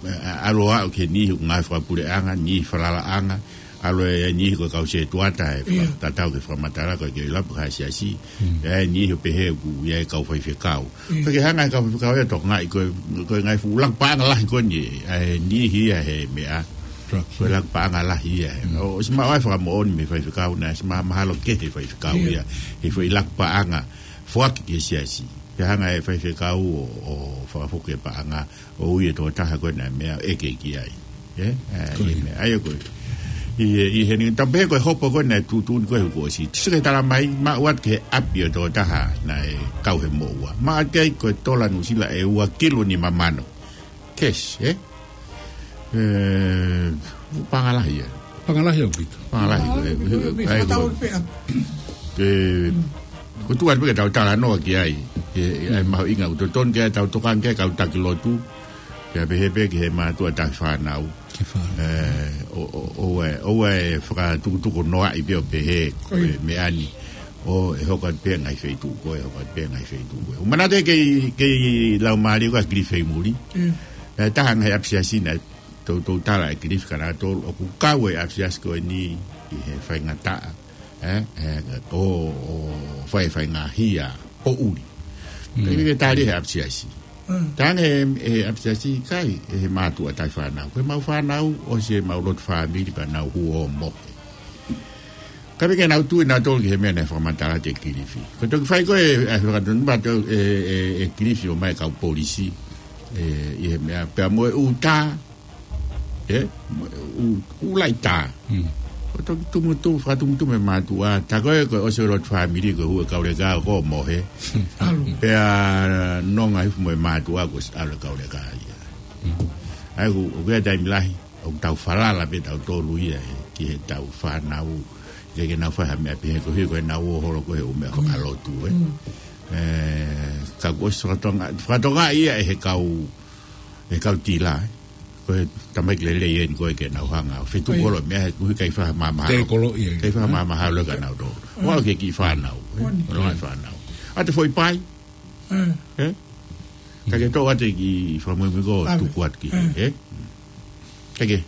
ʻa, ʻalu ʻo aʻu ki he niʻihi ʻoku ngāue fakapuleʻanga, niʻihi falalaʻanga, ʻalu e niʻihi ko e kau setuata, ʻe tatau ki he fakamatala ko e ke ʻi lapu ha siasi. ʻA e niʻihi ʻo pehē ʻoku ʻi ai e kau faifekau. Ka ke hanga he kau faifekau ia ʻo tokangaʻi ko e, ko e ngaahi fuʻu laku paʻanga lahi ko eni, ʻa e niʻihi ia he meʻa. Ko e laku paʻanga lahi ia. ʻOsi maʻu ʻa e fakamoʻoni mei he faifekau naʻe ʻosi ma-, mahalo kehe faifekau ia. He foʻi laku paʻanga foaki ki he siasi. Ke hanga he faifekau ʻo, ʻo fakafoki e paʻanga ʻo ui e tokotaha ko ena meʻa ʻeke ki ai. ʻE, ʻa e meʻa ʻa ia ko ē. ʻI he, ʻi he ni, tapu pē ko e hopo ko ena e tuʻutuʻuni ko e huku ʻosi. Tisi ke tala mai, maʻu atu ki he ʻapi ʻo e tokotaha naʻe kau he moʻua. Maʻu atu ki ai ko e tola Nuʻusila ʻe ua kilu nima mano. Cash, ʻe? ʻE, paʻanga lahi ia. Paʻanga lahi ʻaupito. Paʻanga lahi, ko e, ko e, ko e, ko e, ko e tuʻu atu pē ke tau talanoa ki ai. ʻE, ʻe, ʻa e mahuʻinga ʻoku totonu ke tau tokanga ki ai kau taki lotu. Pea pehē pē ki he mātuʻa tauhi fānau. Ki he fānau. ʻE, ʻo, ʻo, ʻoua ʻe, ʻoua ʻe fakatukutuku noaʻi pē ʻo pehē ko e meʻa ni. ʻO, ʻe hoko atu pē ngaahi feituʻu ko ē, ʻe hoko atu pē ngaahi feituʻu ko ē. ʻOku manatu kei, kei lau mālie ko ē ʻa Kilifi ʻi muli. ʻE, taha ngaahi ʻapisiasi naʻe toutou tala ʻe Kilifi ka nautolu ʻoku kau e ʻapisiasi ko eni ʻi he faingataʻa. ʻE, ʻe, ʻo, ʻo fai, fai ngaahi hia ʻo ʻuli. Ka ʻikai ke tali he ʻapisiasi. Tangi he, he ʻapisiasi kai, he mātuʻa tauhi fānau. Ko e mau fānau, ʻosi e mau lotu fāmili pea nau hū ʻo mohe. Ka ʻikai ke nau tui nautolu ki he meʻa naʻe fakamatala atu ʻe Kilifi. Ko e toki fai ko ē, ʻe, fakatonu pē ʻe, ʻe, ʻe Kilifi ʻo ʻomai e kau polisi. ʻE, ʻi he meʻa pea mo e ʻū tā, ʻE, ʻū, ʻū laʻi tā. Ko e toki tumutumu, fakatumutumu e mātuʻa. Tā ko ē, ko e ʻosi e lotu fāmili, ko e hū e kau leka ʻo mohe. Pea nonga hifo mo e mātuʻa kuo ʻosi ʻalu e kau leka ia. ʻA ia ʻoku, ʻoku ʻi ai e taimi lahi ʻoku tau falala pē tautolu ia ʻe, ki heʻetau fānau. ʻIkai ke nau fai ha meʻa pehē koeʻuhi ko ʻenau ō holo ko ē he ʻū meʻa fakalotu, ʻe. ʻE, ka kuo ʻosi fakatokangaʻi, fakatokangaʻi ia ʻe he kau, ʻe he kau tila, ʻe. Ko e tamaiki lelei eni ko ē ke nau hanga ʻo fetuku holo e meʻa he kuo ʻikai fakamāmahalo. ʻIkai fakamāmahalo kia nautolu. ʻO aʻu ki he kiʻi fānau, ʻe. Ko e longaʻi fānau. ʻA e foʻi pai. ʻE? Ka ke toʻo atu e kiʻi fakamuimui ko ē ʻo tuku atu ki hē, ʻe? Ka ke.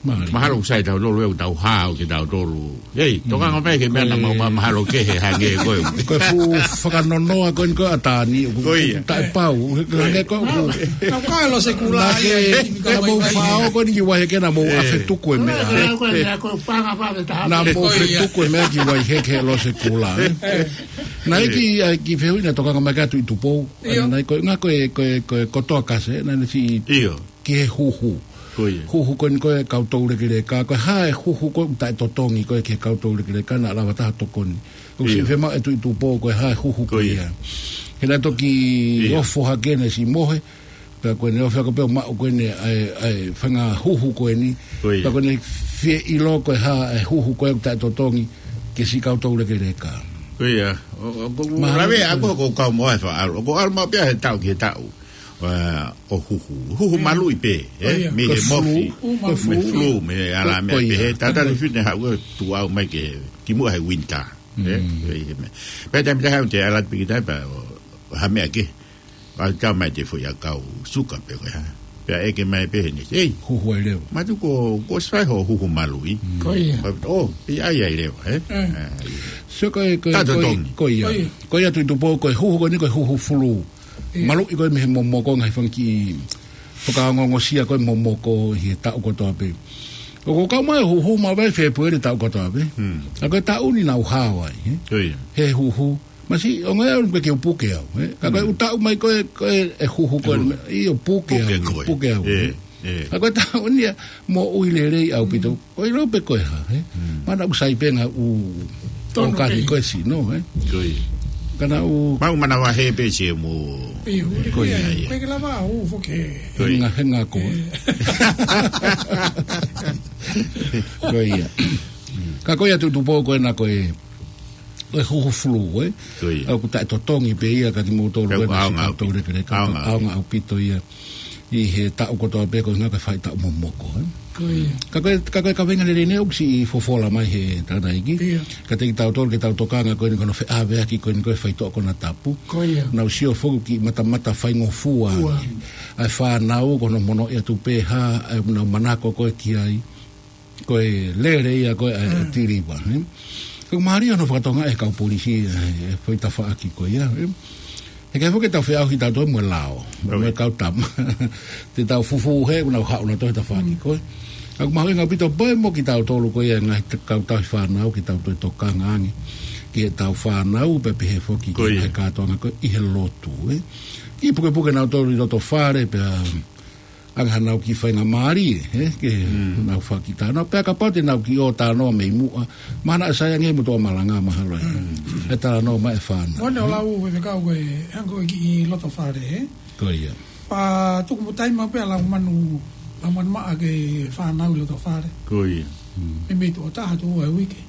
Mahalo ʻoku sai tautolu ʻe ʻoku tau hao ke tautolu. ʻEi, tokanga mai ki he meʻa naʻa mau ma-, mahalo kehe hangē ko ē. Ko e fuʻu fakanonoa ko eni ko ē ʻa Tani, ʻoku taʻepau, hangē ko ē ʻoku. Naʻa ke, naʻa mou fao ko eni ki Vaiheke naʻa mou ʻafetuku e meʻa. Naʻa mou fetuku e meʻa ki Vaiheke he Losekula, ʻe. Naʻe ʻi ai e kiʻi, ʻa e kiʻi fehuʻi naʻe tokanga mai ki ai ʻa Tuʻi Tupou. Naʻe ko e, ko e, ko e, ko e kotoa kasi, naʻe ne si ki he huhu. Huhu ko eni ko e kau toulekeleka, ko e hā e huhu ko ē ʻoku taʻetotongi ko ē ki he kau toulekeleka naʻa lava taha tokoni. ʻOku siʻi fiemaʻu ʻe Tuʻi Tupou ko e hā e huhu ko ia. He naʻe toki ofo hake naʻe siʻi mohe, pea ko ʻene ofi ako pē ʻo maʻu ko eni ʻa e, ʻa e fanga huhu ko eni. Pea ko ʻene fie ʻilo ko e hā e huhu ko ē ʻoku taʻetotongi ki he siʻi kau toulekeleka. Ko ia, ʻo, ʻo, ʻoku lave ʻa ko ē ʻoku ou kau mo e faʻa ʻalu. ʻOku ou ʻalu maʻu pē ia he taʻu ki he taʻu. ʻa, ʻo huhu. Huhu maluʻi pē, ē? ʻIo. Mei he mofi, mei he flu, mei he ʻalā meʻa pehē. Tatali fine haʻu ʻo tuʻu mai ke, kimuʻa he winter, ē? Pea ʻi he meʻa. Pea taimi te haʻu te ala piki tai pea, ʻo, ha meʻa ke. ʻA tau mai te foʻi ʻakau suka pē ko e hā. Pea ʻeke mai pē heni. Ei. Huhu ai leva. Mātuʻa ko, ko sai ho huhu maluʻi. Ko ia. Pea, ʻo, pea ʻai ai leva, ē? Ē. Ā, ʻio. So ko e, ko e, ko e, ko ia. Ko ia Tuʻi Tupou, ko e huhu ko eni ko e huhu flu. ʻIo. Maluʻi ko e mei he momoko ngaahi fanga kiʻi fakaongoongosia ko e momoko ʻi he taʻu kotoa pē. ʻOku kau mai huhu maʻu ai Fēpueli taʻu kotoa pē. Hmm. ʻA ko e taʻu ni naʻa nau hao ai, ē? Ko ia. He huhu. Masiʻi, ʻo ngā au ke u puke au, ē? Ka ko e ʻū taʻu mai ko e, ko e, e huhu ko e, ʻio puke au, puke au. Ē, ē. Ka ko e taʻu ni ia, moʻui lelei ʻaupito. Ko e lau pē ko e hā, ē? Mana ʻoku sai pē ngā ʻū tokoni ko e sino, ē? Ko ia. Ka naʻa ku manavahē pē se mo. ʻIo, ko ia, ko e ke lava ʻo foki. Ko ia. Henga, henga ko. Ē. Ko ia. Ka ko ia Tuʻi Tupou ko ena ko e, ko e huhu flu, ē? Ko ia. ʻOku taʻetotongi pē ia ka kimoutolu ko e ʻaonga ʻaupito. ʻAonga ʻaupito ia. ʻI he taʻu kotoa pē ko e ngaahi fai taʻu momoko, ē? Ko ia. Ka ko e, ka ko e kaveinga lelei eni ʻoku siʻi fofola mai he tangataʻeiki. ʻIo. Ka te kitautolu ke tau tokanga ko eni ko hono feʻaveaki ko eni ko e faitoʻo konatapu. Ko ia. Naʻa nau sio foki ki he matamata faingofua. ʻA e fānau ko hono mono ʻi atu pē hā, ʻa e nau manako ko e ki ai. Ko e lele ia ko e ʻa e tiliva, ē? Ko e mālie hono fakatokangaʻi ʻe he kau polisi, ē, ʻa e foʻi tafaʻaki ko ia, ē? He ʻikai foki ke tau feʻauhi tautolu mo e lao, mo e kau tama. Te tau fufū he, ʻoku nau haʻu nautolu he tafaʻaki ko ē. ʻOku mahuʻinga ʻaupito pē mo kitautolu ko ia ngaahi kau tauhi fānau, ke tau toe tokanga ange. Ki heʻetau fānau, pea pehē foki ki he kātoanga ko ē ʻi he lotu, ē? Kiʻi pukepuke nautolu ʻi loto fale, pea ʻange hanau kiʻi faingamālie, ē, ke nau fakatalanoa. Pea kapau te nau kiʻi ō talanoa mei muʻa, mahalo naʻa sai ange mo toa malanga mahalo ē. ʻE talanoa mai e fānau. Mone o lau e fekau ko e, hangē ko e kiʻi loto fale, ē? Ko ia. Pea tuku mo taimi pē ʻa Laumanu, Laumanu Maʻa ki he fānau ʻi loto fale. Ko ia. Mei mei tuʻo taha tuʻo ua he uike.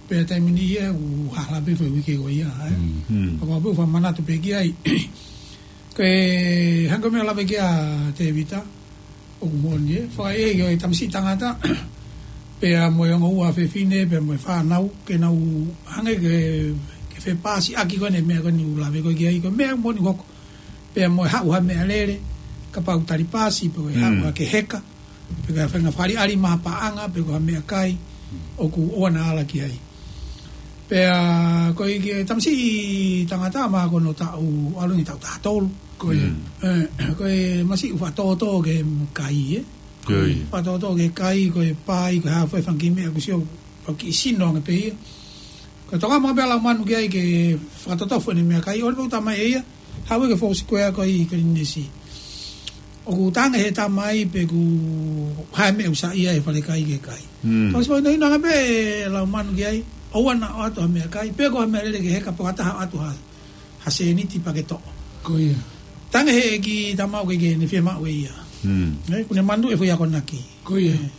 Pea taimi ni ia ʻoku hala pē foʻi uike ko ia, ē? Pea ʻoku ou fakamanatu pē ki ai. Ko e hangē ko e meʻa ʻoku lave ki ai ʻa Tēvita, ʻoku moʻoni ē, fakaʻehiʻehi ko e tamasiʻi tangata, pea mo e ongo ua fefine, pea mo e fānau, ke nau hangē ke, ke fepasiʻaki ko eni meʻa ko eni ʻoku lave ko ē ki ai, ko e meʻa moʻoni hoko, pea mo e haʻu ha meʻalele, kapau tali pasi, pe ko e haʻu ha ke heka, pe ko e fanga fakaʻaliʻali mapaʻanga, pe ko ha meʻakai, ʻoku ʻoua naʻa ala ki ai. Pea ko e kiʻi tamasiʻi tangata ma ko hono taʻu ʻalu ni taʻu taha tolu. Ko ia. Ē, ko e masiʻi ʻoku fakatōtō ki he kai, ē? Ko ia. Fakatōtō ki he kai, ko e pai, ko e hā fua e fanga kiʻi meʻa ʻoku sio, ko e kiʻi sino ange pē ia. Ko e tokanga maʻu pē ʻa Laumanu ki ai ke fakatōtō fua ʻene meʻakai, ʻoua pē ʻo tā mai ʻe ia, haʻu ē ki he foʻi sikuea ko ē ʻi Kalinesi. ʻOku tange he tamai pe ʻoku hā e meʻa ʻoku saiʻia he fale kai ki he kai. Ka ʻosi fakahinohino ange pē ʻe Laumanu ki ai, ʻoua naʻa ʻoatu ha meʻakai, pe ko ha meʻalele ke heka pe ko ha taha ʻoatu ha, ha sēniti pea ke toʻo. Ko ia. Tange he ʻeiki tamau ke ke ne fiemaʻu ʻe ia. Ē, ʻoku ne manuʻi e foʻi akonaki. Ko ia. Ē,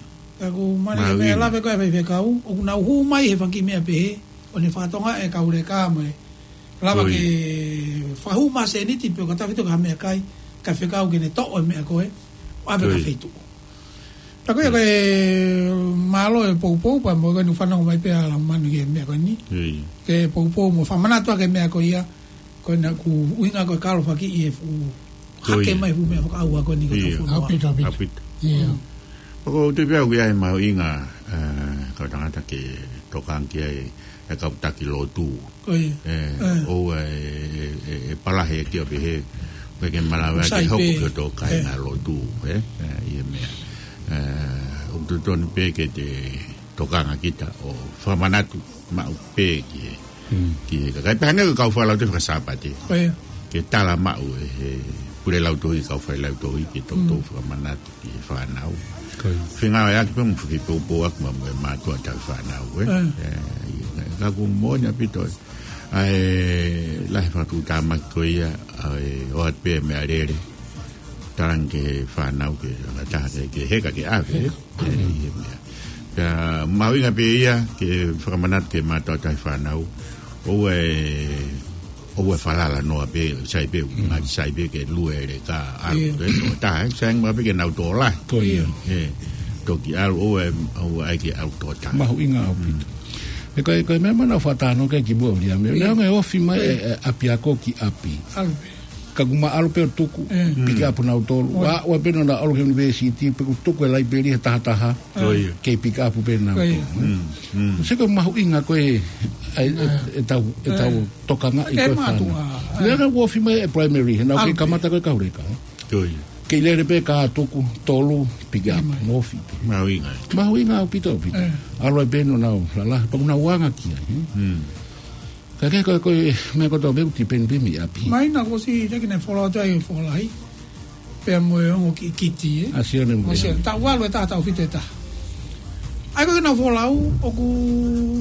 ka ʻoku mali e meʻa lave ko ē faifekau, ʻoku nau hū mai he fanga kiʻi meʻa pehē, ʻo ne fakatokangaʻi e kau leka mo e lava ke fakahū mai ha sēniti pe ko ha taha feituʻu ki ha meʻakai, kae fekau ke ne toʻo e meʻa ko ē, ʻo ʻave ki ha feituʻu. Pea ko ia ko e mālō e poupou, pea mo e ko eni fanongo mai pē ʻa Laumanu ki he meʻa ko eni. Ke poupou mo fakamanatu ʻaki e meʻa ko ia, ko ena ʻoku ʻuhinga ko e kalo fakakiʻi e fuʻu hake mai fuʻu meʻa fakaʻauha ko eni ko e tau fonua. ʻAupito, ʻaupito. ʻAupito. ʻIo. ʻOku ou tui pē au ʻoku ʻi ai e mahuʻinga, ē, kau tangata ke tokanga ki ai e kau taki lotu. Ko ia. Ē, ʻoua ʻe, ʻe, ʻe, ʻe palahe ki ʻo pehē, pea ke malava ke hoko ki hoto kāinga lotu, ē, ē, ʻi he meʻa. Ē, ʻoku totonu pē ke te tokanga kita ʻo fakamanatu maʻu pē ki he, ki he kakai. Pea hangē ko e kau fakalautohi fakasāpate. Ko ia. Ke tala maʻu ʻe he pule lautohi, kau fakalautohi, ke toutou fakamanatu ki he fānau. Ko ia. Fengāueʻaki pē mo fakapoupouaki mo e mātuʻa tauhi fānau, ē? Ē, ka ʻoku moʻoni ʻaupito ʻa e lahi e fakatuʻutāmaki ko ia, ʻa e ʻoatu pē meʻalele. Talange ki he fānau ke, ke taha ke, ke heka ke ʻave, ē? Ē, ʻi he meʻa. Pea mahuʻinga pē ia ke fakamanatu ki he mātuʻa tauhi fānau. ʻOua ʻe ʻoua ʻe falala noa pē, sai pē, ngaahi sai pē ke lue e leka, ʻalu pē, tokotaha, sai ange pē ke nau tō lahi. Ko ia. Toki ʻalu, ʻoua ʻe, ʻoua ʻe ke ʻalu tokotaha. Mahuʻinga ʻaupito. ʻE ko e, ko e meʻa naʻa ku fakatalanoa ki ai kimuʻa, Ulia, meʻa, neongo e ofi mai e, e ʻapiako ki ʻapi. ʻAlu pē. Ka kuo ma ʻalu pē ʻo tuku, pick up nautolu. Ua, ua pē naʻa nau ʻalu ki he university, pe kuo tuku e laipeli he taha taha. Ko ia. Kei pick up pē nautolu. Ko ia. Sio ko e mahuʻinga ko e, ʻa e, ʻetau, ʻetau tokangaʻi ko e fānau. Meʻa naʻa ku ofi mai e primary, he naʻa ku kei kamata ko e kau leka. Ko ia. Kei lele pē ka tuku, tolu, pick up, mo ofi pē. Mahuʻinga. Mahuʻinga ʻaupito, ʻaupito. ʻAlu ai pē naʻa nau lalahi, pea kuo nau anga ki ai. Ka ke ko, ko e meʻa kotoa pē ʻoku tipeni pē mei ʻapi. Mai naʻa ku ʻosi teki ne fola atu ai fola ai. Pea mo e ongo kiʻi kiti, ē. ʻA Sione mo Sione. Taʻu valu e taha, taʻu fitu e taha. ʻAi ko e kena folau, ʻoku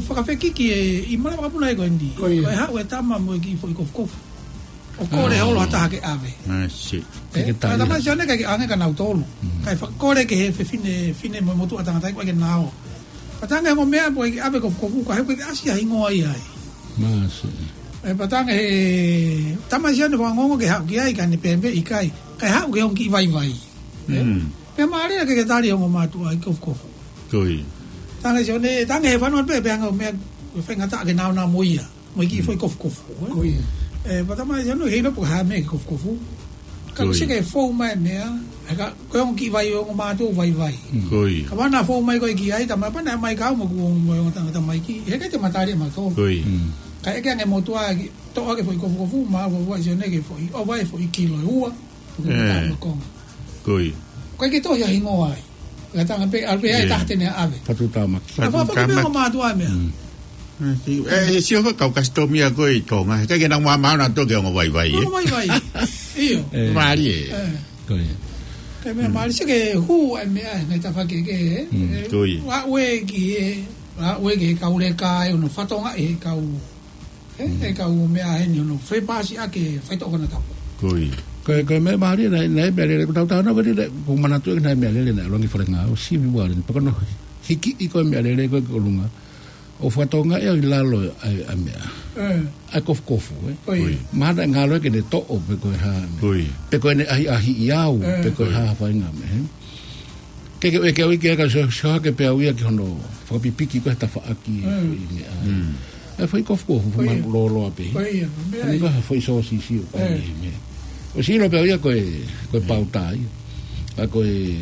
fakafekiki e, ʻi mala makapuna e ko eni. Ko ia. Ko e haʻu e tama mo e kiʻi foʻi kofukofu. ʻO kole holo ha taha ke ʻave. Ē, ke tali. Tama Sione ka ke ʻange ka nautolu. Kae fakakole ke he fefine, fine mo motuʻa tangata ʻi ko e ke nao. Pea talaange ongo meʻa pea ke ʻave kofukofu, ka he ko e ke ʻasi ha hingoa ia ai. Ē, pea talaange he tama Sione fangongo ke haʻu ki ai, ka ne pehē ʻikai. Kae haʻu ke ongo kiʻi vaivai. Pea mālie ke ke tali ongo mātuʻa ʻi kofukofu. Talaange Sione, talaange he fanua pē, pea anga meʻa, faingataʻa ke naonao mo ia. Mo e kiʻi foʻi kofukofu, ē? Ko ia. Pea tama Sione, heʻikai pē ha meʻa ke kofukofu. Ka ko ia. Sio ke fou mai meʻa, ē ka, ko e ongo kiʻi vai, ongo mātuʻa vaivai. Ko ia. Ka ʻana fou mai ko e ki ai, tama pana mai kau mo kuo mo e ongo tangata mai ki, heʻikai te ma tali mautolu. Ko ia. Kae ʻeke ange motuʻa ki, toʻo ke foʻi kofukofu, ma ua ua Sione ke foʻi, ʻo vai foʻi kilo ua. Ko ia. Ko ia. Ko e ke tohi a hingoa ai. Ka talaange pē, ʻalu pē ai taha te ne ʻave. Fatutamaki. Ka fakafoki pē ongo mātuʻa meʻa. Ē, he sio faka kau kasitomi ʻa ko ē ʻi Tonga. Heʻikai ke nau māmā nautolu ke ongo vaivai, ē? Ongo vaivai. ʻIo. Mālie. Ko ia. Ke meʻa mālie, sio ke hū ai meʻa, ngai tafake ke, ē? Ko ia. Ua ue ki, ē, ua ue ki he kau leka, ē, ono fatonga e kau Ē, ʻe kau meʻa heni ono fepasi ake faitoʻo konatapu. Ko ia. Ko e, ko e meʻa mālie naʻe, naʻe meʻa lele, ko tau tānaki ko eni, ko manatu ʻe naʻe meʻa lele naʻe longi falenga, ʻo sivi wale, pea ko hono hiki ʻi ko e meʻa lele ko e ki ʻolunga. ʻO fatonga ʻe au ʻi lalo ʻa e, ʻa e meʻa. ʻA e kofukofu, ē. Ko ia. Mahalo naʻe ngalo ke ne toʻo pe ko e hā. Ko ia. Pe ko ʻene ʻahiʻahiʻi au, pe ko e hā fainga meʻa, ē. Ke ke, ke ui ke ka sio, sio hake pē au ia ki hono fakapipiki ko e tafaʻaki e foʻi meʻa. ʻA e foʻi kofukofu, foʻi mālōlō pē. Ko ia, meʻa ia. Ko e foʻi sōsisi ʻo e meʻa. ʻOsi ʻilo pē au ia ko e, ko e pauta ia. ʻA ko e,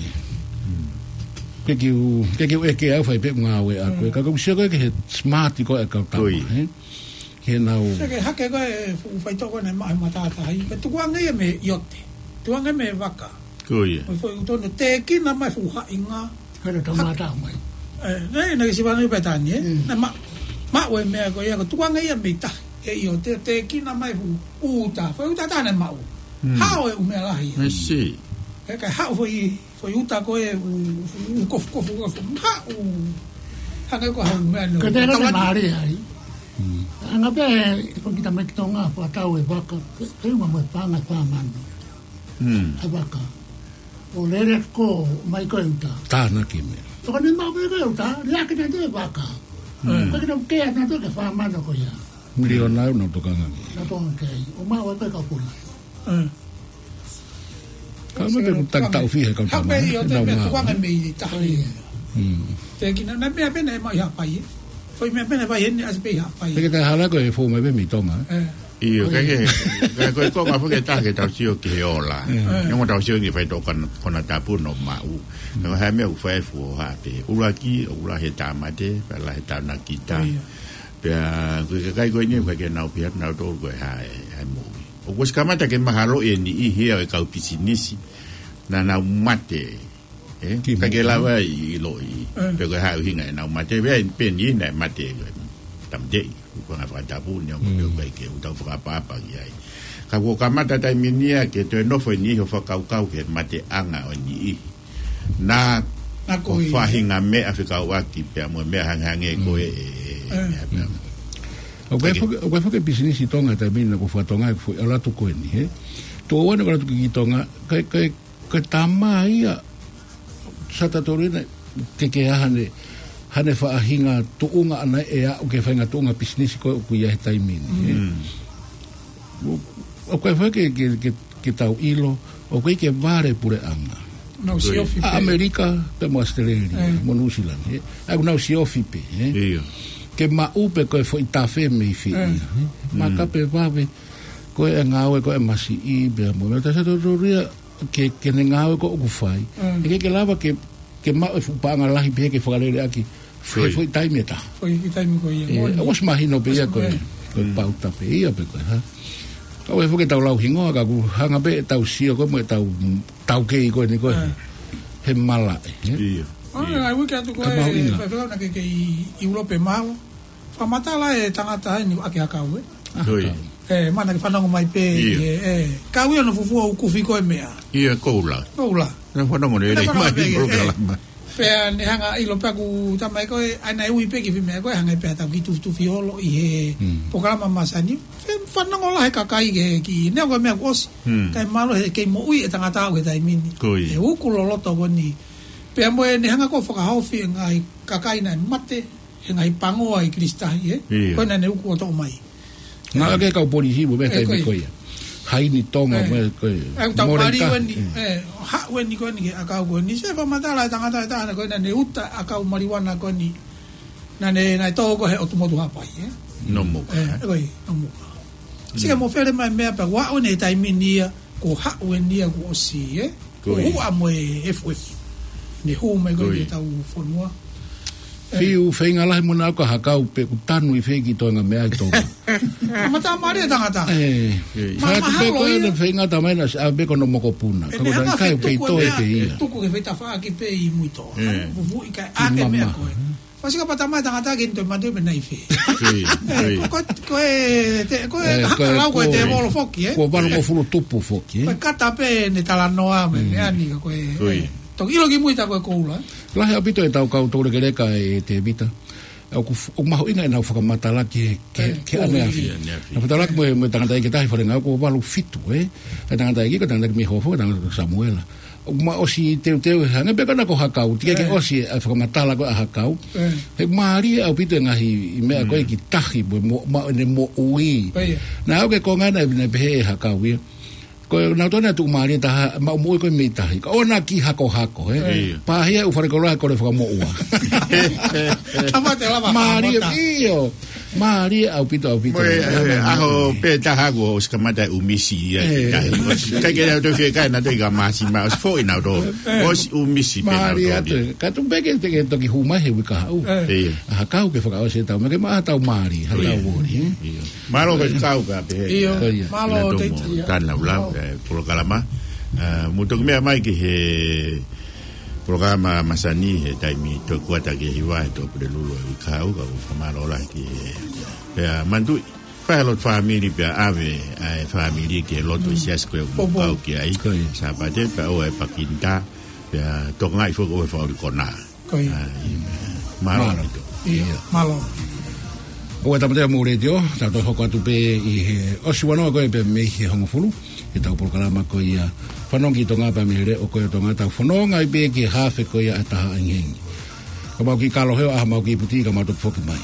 ke kiu, ke kiu ʻeke au fai pē ngāue ʻa ko e. Ka ko sio ko e ke he smart ko e kau tama, ē? Ke nau. Sio ke hake ko e fuʻu faitoʻo ko ē naʻe maʻu he matātahi. Ke tukuange ia mei ʻiote. Tukuange mei vaka. Ko ia. Mo e foʻi ʻuto naʻe tēkina mai fuʻu haʻinga. Kalo tau mātā mai. Ē, naʻe, naʻe sivana i Pētani, ē? Naʻe ma-, maʻu e meʻa ko ia, ko tukuange ia mei tahi. ʻE ʻiote, tēkina mai fuʻu uta. Foʻi uta taha naʻe maʻu. Hao e ʻū meʻa lahi. I see. Ē, kae haʻu foʻi Foʻi uta ko e ʻū, ʻū kofukofu, kofukofu. Haʻu. Hangē ko ha ʻū meʻa nō. Ko e tēnā te mālie ai. Anga pē, ko kita mai ki Tonga, fakatau e vaka, ke, ke uma mo e paʻanga fā mano. ʻA e vaka. ʻO lele ko, mai ko e uta. Tānaki meʻa. Toko ne mau pē ko e uta, liʻaki na te e vaka. Ko e kina ke ana te ke fā mano ko ia. Miliona ʻe ua na tokanga ki ai. Na tokanga ki ai. ʻO mau e ko e kapuna. Ka me pe kutaki tau fiha kau tama. Hape ʻio te me tuanga mei tahi. Te kina na meʻa pē naʻe maʻu ʻi Haʻapai. Foʻi meʻa pē naʻe fai heni ʻasi pē ʻi Haʻapai. Te ke taha hala ko e fou mai pē mei Tonga. ʻIo, ka ke, ka ko e konga foki ʻe taha ke tau sio ki he ola. Neongo tau sio ki he faitoʻo konatapu naʻa nau maʻu. Neongo ha meʻa ʻoku fai fua pē. ʻUluaki, ʻoku lahi e tāmate, pea lahi e tānaki ta. Pea, ko e kakai ko eni, ʻoku ʻikai ke nau pehē atu nautolu ko e hā e, hā e moʻui. ʻOku ʻosi kamata ke mahalo e niʻihi ia ʻo e kau pisinisi. Naʻa nau mate, ē? Ki ʻikai ke lava ʻiloʻi. Pe ko e hā e ʻuhinga ʻenau mate, pea, pea niʻihi naʻe mate, ko e tamateʻi, ko e ngaahi fakatapu, neongo pe ʻoku ʻikai ke u tau fakaʻapaʻapa ki ai. Ka kuo kamata taimi ni ia ke toe nofo e niʻihi ʻo fakakaukau ki he mateʻanga ʻo e niʻihi. Naʻa ko e faʻahinga meʻa fekauʻaki pea mo e meʻa hangehangē ko e, ʻoku ʻi ai foki, ʻoku ʻi ai foki e pisinisi ʻi Tonga taimi ni naʻa ku fakatonga e foʻi ʻalu atu ko eni, ē? Tuʻo ua naʻa ku ʻalu atu ki Tonga, ko e, ko e, ko e tama ia, Satatorina, ke ke ʻi ai hane, hane faʻahinga tuʻunga ʻana ʻe aʻu ki he faʻahinga tuʻunga pisinisi ko ē ʻoku ʻi ai he taimi ni, ē? ʻOku ʻikai foki ke, ke, ke, ke tau ʻilo, ʻoku ʻikai ke vale puleʻanga. Nau siofi ʻA pē. ʻAmelika, pea mo ʻAositelēlia, ʻE. mo Nuʻusila, ē. ʻOku nau siofi pē, ē. ʻIo. Ke maʻu pē ko e foʻi tafe mei fē ʻE. ia, ē. Mm. Maka pē vave, ko e ngāue ko e masiʻi, pea mo, mea ta sa tō tō ria, ke, ke ne ngāue ko ʻoku fai. Mm. ʻE ʻikai ke lava ke, ke maʻu e fuʻu paʻanga lahi pē ke fakalele ʻaki. Foʻi. Foʻi taimi ʻe taha. Foʻi taimi ko ia, ʻE, moʻoni. ʻOsi mahino pē ia ko e, ʻE. ko e Mm. pauta pē ia pē ko e, ha? Ka ʻoku ʻikai foki ke tau lau hingoa, ka ʻoku hanga pē ʻetau sio ko e mo ʻetau, tau kei ko eni ko e. ʻE. He malaʻe, ē? ʻIo. ʻO, ʻIo. ʻai uike atu ko Ka e, mahuʻinga. Faifekau naʻa ke kei ʻIulope, mālō. Fakamatala e tangata eni ʻaki hakau, ē? ʻA, Ui. hakau. ʻE, mana ke fanongo mai pē, ʻIo. ʻe, ʻe. Kau ia ʻo fufua ʻo kufi ko e meʻa. ʻIo, koula. Koula. Naʻa fanongo ne Naʻa fanongo mai pē, ʻi ʻe. polokalama. Pea ne hanga ʻilo pē ʻoku tau mai ko e, ʻa ia naʻe ui pē ki he meʻa ko e, hanga pē ʻetau kiʻi tufitufi holo ʻi he Mm. polokalama masani. Fe-, fanongo lahi e kakai ke ki, neongo e meʻa kuo ʻosi. Mm. Kae mālō he kei moʻui e tangata ʻo e taimi ni. Ko ia. ʻE uku loloto ko eni. Pea mo e ne hanga ko e fakahaofi e ngaahi kakai naʻe mate, he ngaahi pango ʻa e Kilisitahi, ē? ʻIo. Ko ena ne uku ʻo toʻo mai. Naʻa ke kau polisi mo e meʻa ʻE, taimi ko ia. ko ia. Haini Tonga ʻE. mo e ko ia. ʻE, tau Moreika. mali weni, Mm. ʻe, haʻu weni ko eni ki he ʻakau ko eni. Se fakamatala e tangata ʻe taha ko ena ne uta ʻakau maliuana ko eni. Naʻa ne, naʻe tō ko e he ʻotu motu Haʻapai, ē? Nomuka. ʻE, ko ia, Nomuka. Sika Mm. mo fele mai meʻa pea ʻoku ʻi ai e taimi ni ia, ko haʻu eni ia kuo ʻosi, ē? Ko Ko ia. huʻa mo e F F. Ne hū mai ko Ko ia ia. ki he tau fonua. Fiu feinga lahi mo naʻa ko e hakau pē ʻoku tanu ʻi fē ki toenga meʻa ʻi Tonga. Mata mare tangata. ʻE. ʻE. Ma-, Fatu pē mahalo ko ia. ʻene feinga tamai naʻa ʻa pē ko hono mokopuna. ʻE Ka ko meʻa taʻi ka kai fetuku pē ia. fetuku ke fetafaʻaki pē ʻi Muitoa. ʻE. Fufuʻi kai Ki ake meʻa mama. ko e. Fasi ka pata mai tangata ke nito matu me nai fē. Ko ia, ko ia. ʻE, ko, ko, ko e, te, ko e, ʻE, haka ko e, lau ko e ko e, tēvolo foki, ē? ko e valungofulu tupu foki, ē? Ko e kata pē ne talanoa me Mm. meʻa ni ka ko e, Ko ia. ʻe. Toki ʻilo ki mui ta ko e koula. Lahi ʻaupito ʻetau kau toulekeleka ʻe Tēvita. ʻOku f-, ʻoku mahuʻinga ʻenau fakamatala ki he, ki he, ʻE, ki he ko ʻaneafi. ia. ʻAneafi. Naʻa fakamatala ki mo e, mo e tangataʻeiki ʻe taha ʻi Falenga ʻoku valu fitu, ē? ʻA e tangataʻeiki ko e tangataʻeiki mei Hōfoa, tangataʻeiki ko Samuela. ʻOku ma ʻosi teuteu he hangē pē ko ena ko hakau, teʻeki ke ʻE. ʻosi e fakamatala ko e ʻa hakau. ʻE. He mālie ʻaupito e ngaahi meʻa ko e Mm. ki tahi, mo, mo, ma, ne moʻui. Ko ia. Naʻa ʻoku ke konga naʻe, naʻe pehē ʻe hakau ia. Ko e nautolu naʻe tuʻumālie taha, maʻu moʻui ko e mei tahi. Ka ʻoua naʻa kiʻi hakohako, ē? ʻIo. Pāhia ʻu fale koloa he kole fakamoʻua. Tamate lava Mālie, fakamatala. ʻIo. Mālie ʻaupito, ʻaupito. Mo e, ʻAna e, ʻaho mālie. pē taha kuo ʻosi kamata e ʻumisi ia ki ʻE. tahi. ʻOsi, kai ke nau toe fie kai nautolu ʻi ka masi ma, ʻosi foʻi nautolu. ʻE. ʻOsi ʻumisi pē Mālie nautolu atu. ia. Ka tuku pē ke, ke toki hū mai he uike kahaʻu. ʻE. ʻIo. ʻA hakau ke fakaʻosi e tau, ma ke maʻa tau mālie, ha tau ʻIo. voli, ē? ʻIo. Mālō ke kau ka pehē. ʻIo, Ko ia. mālō Lea tō te mo ia. Tana ula, Mālō. ʻe, polokalama. ʻA, mo toki meʻa mai ki he polokalama masani he taimi tō kuata ki he hiva he tō Pulelulu ʻa e uike kahaʻu ka ʻoku fakamālō lahi ki he. Pea manatuʻi, fai ha lotu fāmili pea ʻave ʻa e fāmili ki he lotu ʻi he Mm. siasi ko e Popo. mukau ki ai. Ko ia. Sāpate pea ʻoua ʻe pakinita, pea tokangaʻi foki ʻoua ʻe fakaʻuli konā. Ko ia. ʻAi, mālō Mālō. ʻaupito. ʻIo, Ia. mālō. ʻOua ʻe tāmateʻi hoʻomou letiō, tau toe hoko atu pē ʻi he ʻosi ua noa ko ē pē mei he hongofulu, ʻi he tau polokalama ko ia Fanongo ki Tonga pea mei he Leʻo ko ē ʻo Tonga, tau fononga ai pē ki he hafe ko ia ʻa e taha ʻahiʻahi. Ka mau kiʻi kalo he ʻaho, mau kiʻi puti, ka mau toki foki mai.